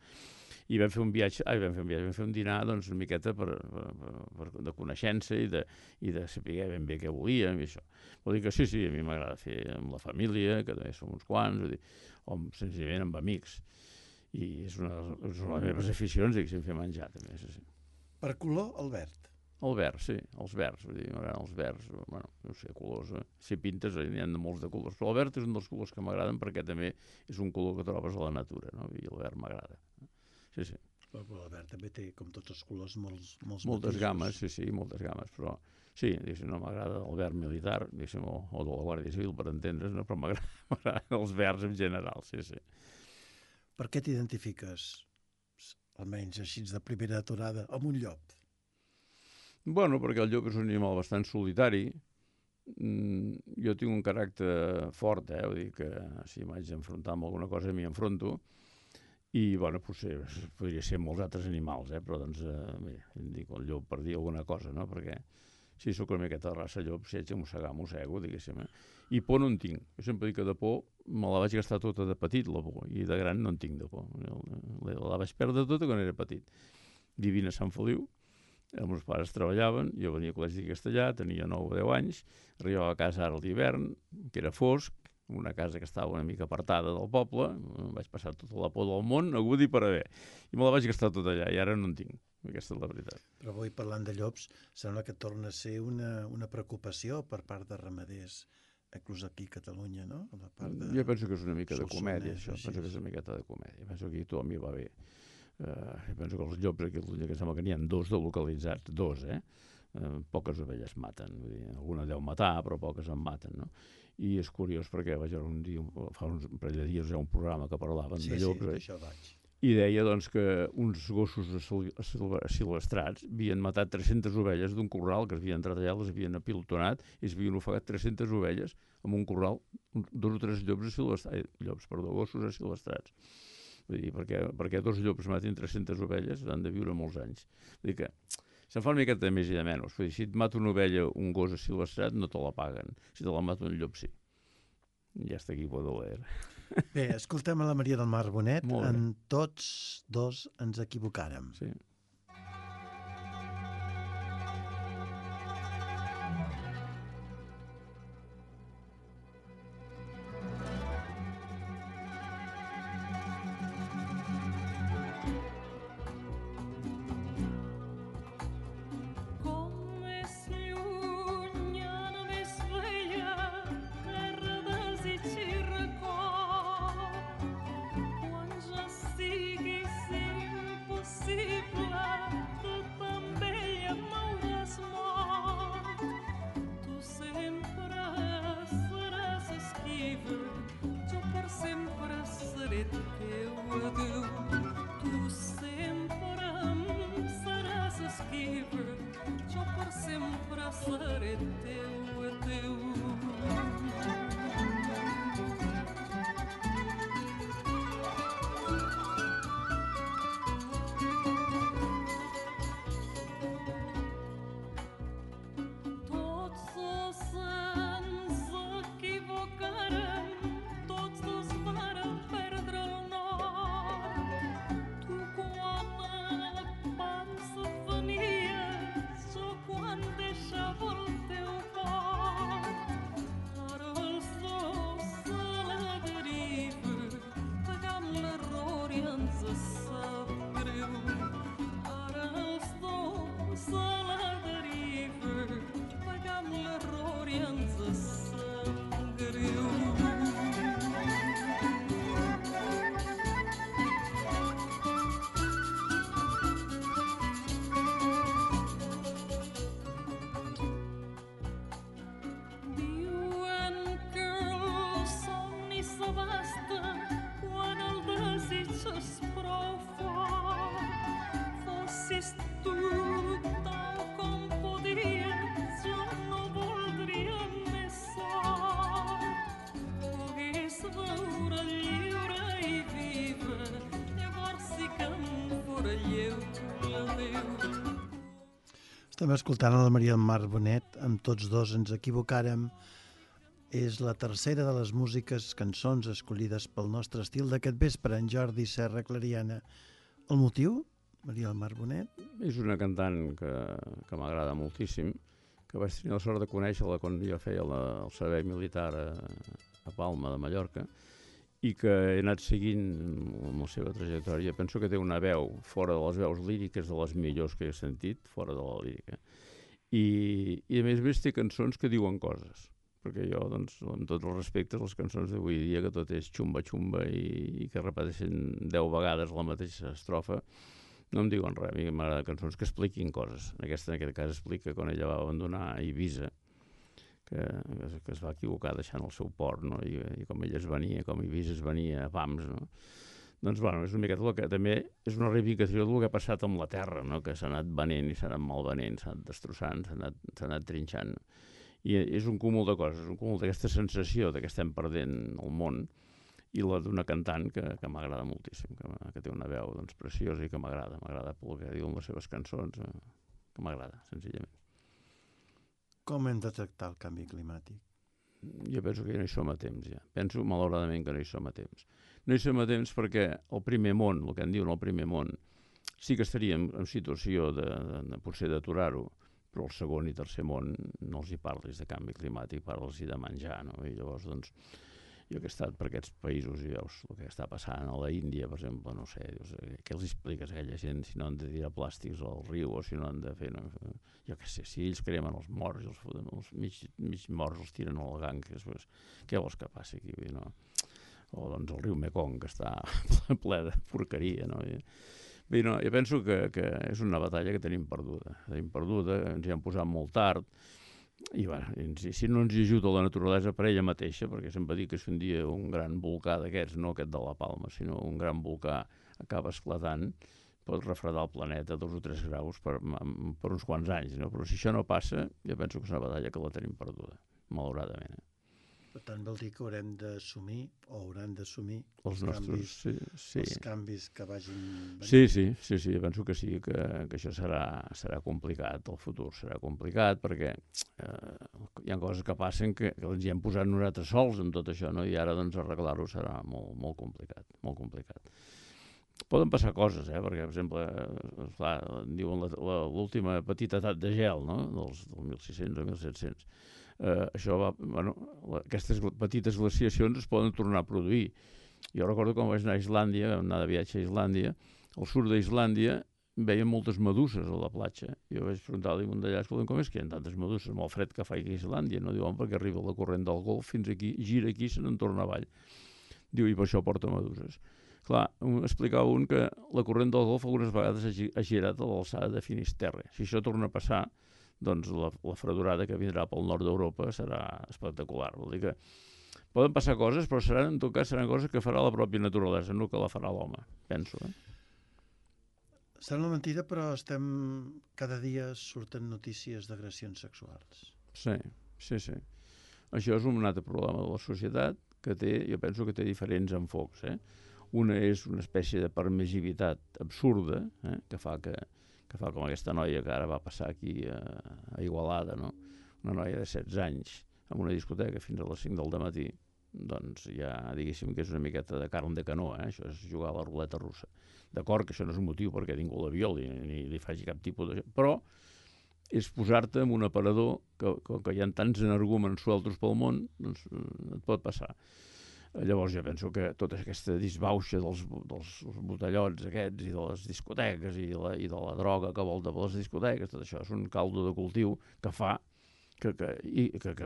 I vam fer un dinar doncs, una miqueta de coneixença i de saber ben bé què volíem i això. Vol dir que sí, a mi m'agrada fer amb la família, que també som uns quants, o senzillament amb amics. I és una de les meves aficions, diguéssim, fer menjar, també. Sí. Per color, el verd. El verd, sí, els verds, vull dir, m'agraden els verds, bueno, no sé, colors, si pintes n'hi ha de molts de colors, però el verd és un dels colors que m'agraden perquè també és un color que trobes a la natura, no? I el verd m'agrada. Sí. Però el verd també té, com tots els colors, moltes matisos. Games, sí, moltes games, però sí, no m'agrada el verd militar, o de la Guàrdia Civil, per entendre's, no? Però m'agraden els verds en general, sí. Per què t'identifiques, almenys així de primera aturada, amb un llop? Bueno, perquè el llop és un animal bastant solitari. Jo tinc un caràcter fort, vull dir que si m'haig d'enfrontar amb alguna cosa m'hi enfronto. I, bueno, podria ser molts altres animals, però, doncs, bé, em dic el llop per dir alguna cosa, no? Perquè si sóc una miqueta de raça llop, si haig de mossegar, mossego, diguéssim. I por no en tinc. Jo sempre dic que de por me la vaig gastar tota de petit, la por, i de gran no en tinc de por. La vaig perdre tota quan era petit. Vivint a Sant Feliu, els meus pares treballaven, jo venia a col·legi de castellà, tenia 9 o 10 anys, arribava a casa ara a l'hivern, que era fosc, una casa que estava una mica apartada del poble, vaig passar tota la por del món, agut i per haver. I me la vaig gastar tot allà, i ara no en tinc. Aquesta és la veritat. Però avui, parlant de llops, sembla que torna a ser una preocupació per part de ramaders, inclús aquí a Catalunya, no? Jo penso que és una mica de comèdia, això. Penso que és una miqueta de comèdia. Penso que tothom hi va bé. Penso que els llops aquí a Catalunya, que sembla que n'hi ha 2 de localitzats, 2, poques ovelles maten. Vull dir, alguna deu matar, però poques en maten, no? I és curiós perquè vaig veure un dia, fa un parell de dies, un programa que parlaven de llops, això vaig. I deia doncs, que uns gossos silvestrats havien matat 300 ovelles d'un corral que havien entrat allà, les havien apilotonat i s'havien ofegat 300 ovelles en un corral, 2 o 3 gossos silvestrats. Vull dir, perquè 2 llops matin 300 ovelles han de viure molts anys. Vull dir que se'n fa una miqueta de més i de menys. Vull dir, si et mata una ovella un gos silvestrat, no te la paguen. Si te la mata un llop, sí. Ja està aquí, Baudelaire. Bé, escoltem a la Maria del Mar Bonet. En tots 2 ens equivocàrem. Sí. trista quan el desig s'esprofa. Fossis tu tal com podies, jo no voldria més sort. Pogués veure lliure i viva, llavors sí que em fora lleu la Déu. Estem escoltant a la Maria del Mar Bonet, amb Tots dos ens equivocàrem. És la tercera de les músiques, cançons escollides pel nostre estil d'aquest vespre, en Jordi Serra Clariana. El motiu, Maria del Mar Bonet? És una cantant que m'agrada moltíssim, que vaig tenir la sort de conèixer-la quan jo feia el servei militar a Palma de Mallorca, i que he anat seguint amb la seva trajectòria. Penso que té una veu, fora de les veus líriques, de les millors que he sentit, fora de la lírica. I a més té cançons que diuen coses, perquè jo, doncs, amb tots els respectes, les cançons d'avui dia, que tot és xumba-xumba i que repeteixen 10 vegades la mateixa estrofa, no em diuen res. A mi m'agrada cançons que expliquin coses. En aquest cas explica quan ella va abandonar Eivissa, que es va equivocar deixant el seu port, no? I com ella es venia, com Eivissa es venia a pams, no? Doncs, bueno, és una miqueta el que també és una reivindicació del que ha passat amb la terra, no? Que s'ha anat venent i s'ha anat malvenent, s'ha anat destrossant, s'ha anat trinxant. I és un cúmul de coses, un cúmul d'aquesta sensació de que estem perdent el món, i la d'una cantant que m'agrada moltíssim, que té una veu, doncs, preciosa i que m'agrada pel que diuen les seves cançons, que m'agrada, senzillament. Com hem de tractar el canvi climàtic? Jo penso que ja no hi som a temps, ja. Penso, malauradament, que no hi som a temps. No hi som a temps perquè el primer món, el que en diuen el primer món, sí que estaríem en situació de potser d'aturar-ho, però el segon i tercer món no els hi parlis de canvi climàtic, parles-hi de menjar, no? I llavors, doncs, jo que he estat per aquests països i veus el que està passant a la Índia, per exemple, no sé, dius, què els expliques a aquella gent si no han de tirar plàstics al riu o si no han de fer... No? Jo què sé, si ells cremen els morts i els foten, els mig morts els tiren al Ganges, pues, què vols que passi aquí? No? O doncs el riu Mekong, que està ple de porqueria, no? Bé, no, jo penso que és una batalla que tenim perduda, ens hi han posat molt tard, i bueno, si no ens hi ajuda la naturalesa per ella mateixa, perquè sempre dic que si un dia un gran volcà d'aquests, no aquest de la Palma, sinó un gran volcà acaba esclatant, pot refredar el planeta 2 o 3 graus per uns quants anys, no? Però si això no passa, jo penso que és una batalla que la tenim perduda, malauradament. Per tant, vol dir que haurem d'assumir, o hauran d'assumir els nostres, els canvis que vagin venint. Sí, jo penso que sí, que això serà complicat, el futur serà complicat, perquè hi ha coses que passen que ens hi hem posat nosaltres sols amb tot això, no? I ara doncs arreglar-ho serà molt complicat, molt complicat. Poden passar coses, perquè, per exemple, clar, diuen l'última petita edat de gel, no? Del 1600 o 1700. Aquestes petites glaciacions es poden tornar a produir. Jo recordo quan vaig anar a Islàndia, vam anar de viatge a Islàndia, al sud d'Islàndia veiem moltes meduses a la platja. Jo vaig preguntar-li a un d'allà, escolta, com és que hi ha tantes meduses amb el fred que fa aquí a Islàndia? No diuen perquè arriba la corrent del Golf fins aquí, gira aquí i se n'en torna avall. Diu, i per això porta meduses. Clar, explicava un que la corrent del Golf algunes vegades ha girat a l'alçada de Finisterre. Si això torna a passar, doncs la fredurada que vindrà pel nord d'Europa serà espectacular. Vol dir que poden passar coses, però en tot cas seran coses que farà la pròpia naturalesa, no que la farà l'home, penso. Sembla mentida, però cada dia surten notícies d'agressions sexuals. Sí. Això és un altre problema de la societat que jo penso que té diferents enfocs. Una és una espècie de permissivitat absurda, que fa com aquesta noia que ara va passar aquí a Igualada, no? Una noia de 16 anys en una discoteca fins a les 5 del dematí, doncs ja diguéssim que és una miqueta de carn de canó, això és jugar a la ruleta russa. D'acord que això no és un motiu perquè ningú la violi ni li faci cap tipus de... Però és posar-te en un aparador que hi ha tants energúmens sueltos pel món, doncs et pot passar. Llavors jo penso que tota aquesta disbauxa dels botellots aquests i de les discoteques i de la droga que volta per les discoteques, tot això és un caldo de cultiu que fa que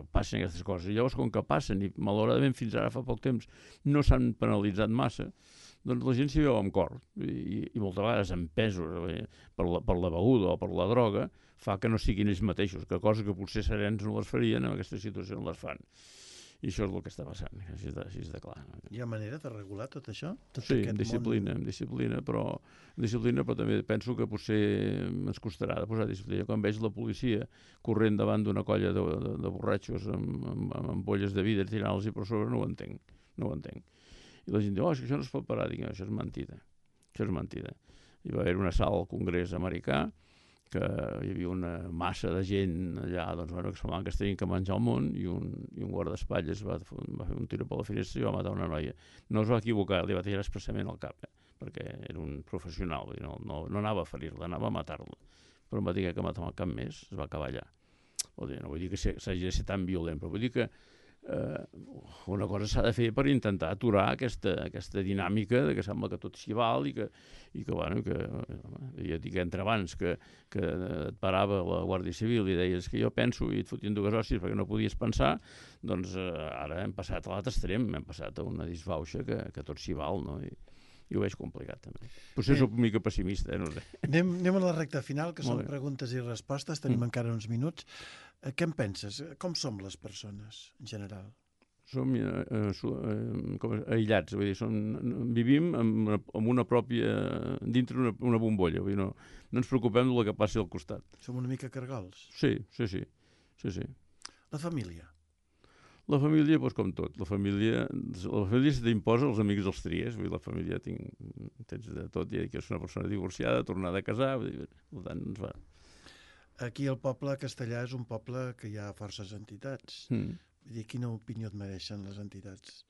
passin aquestes coses. I llavors, com que passen, i malauradament fins ara fa poc temps no s'han penalitzat massa, doncs la gent s'hi veu amb cor i moltes vegades empesos per la beguda o per la droga fa que no siguin ells mateixos, que coses que potser serens no les farien, en aquesta situació no les fan. I això és el que està passant, així de clar. Hi ha manera de regular tot això? Tot Sí, aquest amb disciplina, però també penso que potser ens costarà de posar disciplina. Quan veig la policia corrent davant d'una colla de borratxos amb ampolles de vidre tirant-los per sobre, no ho entenc. I la gent diu, és que això no es pot parar. Dic, això és mentida. Hi va haver un assalt al Congrés americà, que hi havia una massa de gent allà, doncs, bueno, que semblaven que es tenien que menjar el món, i un guardaespatlles va fer un tiro per la finestra i va matar una noia. No es va equivocar, li va tirar expressament al cap, perquè era un professional, no anava a ferir-la, anava a matar-la. Però em va dir que matar amb el cap més, es va acabar allà. No vull dir que s'hagi de ser tan violent, però vull dir que una cosa s'ha de fer per intentar aturar aquesta dinàmica de que sembla que tot s'hi val i que ja dic entre abans que et parava la Guàrdia Civil i deies que jo penso i et fotien dues hòsties perquè no podies pensar, doncs ara hem passat a l'altre extrem, hem passat a una disbauxa que tot s'hi val, no? I ho veig complicat també. Potser soc una mica pessimista, no sé. Anem a la recta final, que són preguntes i respostes, tenim encara uns minuts. Què en penses? Com som les persones, en general? Som aïllats, vull dir, vivim amb una pròpia, dintre una bombolla, vull dir, no ens preocupem del que passi al costat. Som una mica cargols? Sí. La família? La família, doncs com tot, la família si t'imposa, els amics els tries, vull dir, la família tens de tot, i que és una persona divorciada, tornada a casar, vull dir, per tant, ens va. Aquí el poble castellà és un poble que hi ha forces entitats. Vull dir, quina opinió et mereixen les entitats?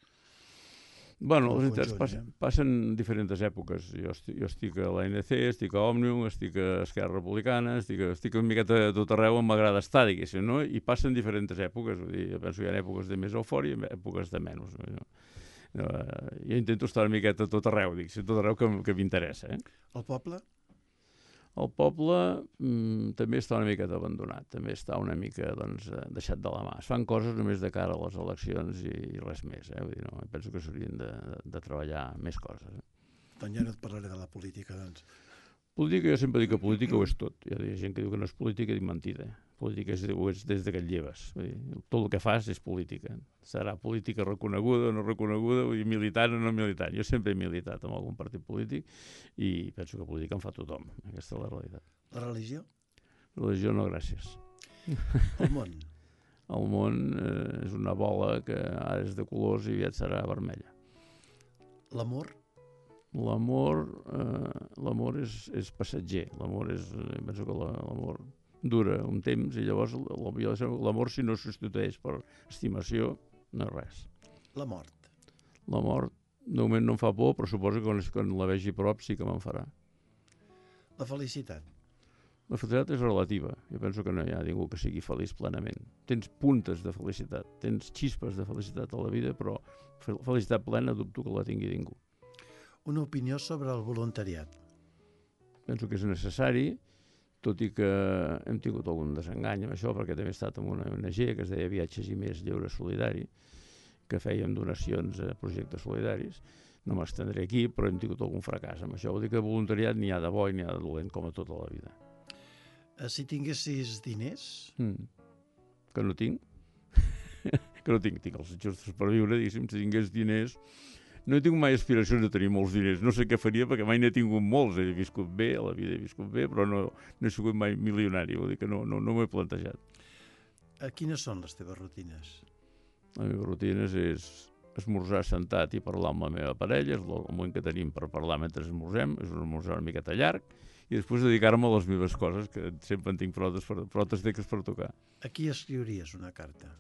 Bueno, les entitats passen diferents èpoques. Jo estic a l'ANC, estic a Òmnium, estic a Esquerra Republicana, estic una miqueta a tot arreu on m'agrada estar, diguéssim, no? I passen diferents èpoques. Vull dir, jo penso que hi ha èpoques de més eufòria i èpoques de menys. Jo intento estar una miqueta a tot arreu, a tot arreu que m'interessa. El poble? El poble també està una miqueta abandonat, també està una mica deixat de la mà. Es fan coses només de cara a les eleccions i res més. Vull dir, no, penso que s'haurien de treballar més coses. Doncs ja no et parlaré de la política, doncs. Política, jo sempre dic que política ho és tot. Hi ha gent que diu que no és política i dic mentida. Política és des de que et lleves. Tot el que fas és política. Serà política reconeguda o no reconeguda, vull dir, militant o no militant. Jo sempre he militat en algun partit polític i penso que política en fa tothom. Aquesta és la realitat. La religió? Religió no, gràcies. El món? El món és una bola que ara és de colors i aviat serà vermella. L'amor? L'amor és passatger. Penso que l'amor dura un temps i llavors l'amor, si no substitueix per estimació, no és res. La mort? La mort, de moment no em fa por, però suposo que quan la vegi a prop sí que me'n farà. La felicitat? La felicitat és relativa. Jo penso que no hi ha ningú que sigui feliç plenament. Tens puntes de felicitat, tens xispes de felicitat a la vida, però felicitat plena dubto que la tingui ningú. Una opinió sobre el voluntariat? Penso que és necessari, tot i que hem tingut algun desengany amb això, perquè també he estat en una ONG que es deia Viatges i Més Lleure Solidari, que fèiem donacions a projectes solidaris. No m'estendré aquí, però hem tingut algun fracàs amb això. Vol dir que voluntariat n'hi ha de bo i n'hi ha de dolent, com a tota la vida. Si tinguessis diners? Que no tinc. Que no tinc els justos per viure, diguéssim, si tingués diners. No he tingut mai aspiracions de tenir molts diners. No sé què faria perquè mai n'he tingut molts. He viscut bé, a la vida he viscut bé, però no he sigut mai milionari. Vol dir que no m'ho he plantejat. Quines són les teves rutines? Les meves rutines és esmorzar sentat i parlar amb la meva parella. És el moment que tenim per parlar mentre esmorzem. És un esmorzar una miqueta llarg. I després dedicar-me a les meves coses, que sempre en tinc protes teques per tocar. A qui escriuries una carta?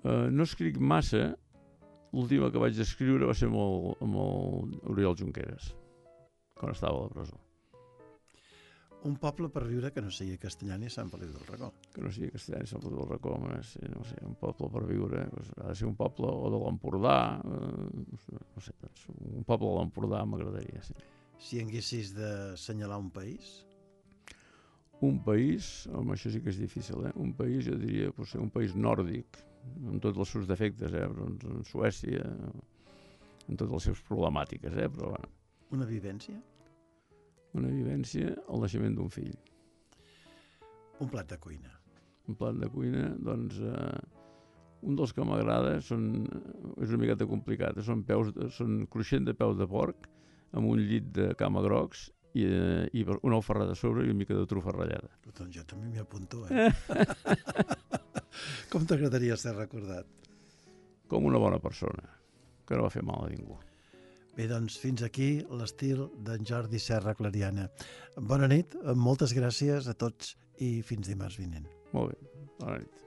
No escric massa. L'última que vaig escriure va ser amb l'Oriol Junqueras, quan estava a la presó. Un poble per viure que no sigui castellà ni Sant Feliu del Racó. Que no sigui castellà ni Sant Feliu del Racó, no sé, un poble per viure, ha de ser un poble o de l'Empordà, no sé, un poble de l'Empordà m'agradaria, sí. Si haguessis d'assenyalar un país? Un país, home, això sí que és difícil, un país, jo diria, potser un país nòrdic, amb tots els seus defectes, doncs en Suècia, amb totes les seves problemàtiques, però bueno. Una vivència? Una vivència, el naixement d'un fill. Un plat de cuina? Un plat de cuina, doncs, Un dels que m'agrada és una miqueta complicat, són cruixent de peus de porc amb un llit de camagrocs i un alfarrat a sobre i una mica de trufa ratllada. Doncs jo també m'hi apunto, Com t'agradaria ser recordat? Com una bona persona, que no va fer mal a ningú. Bé, doncs fins aquí l'estil d'en Jordi Serra Clariana. Bona nit, moltes gràcies a tots i fins dimarts vinent. Molt bé, bona nit.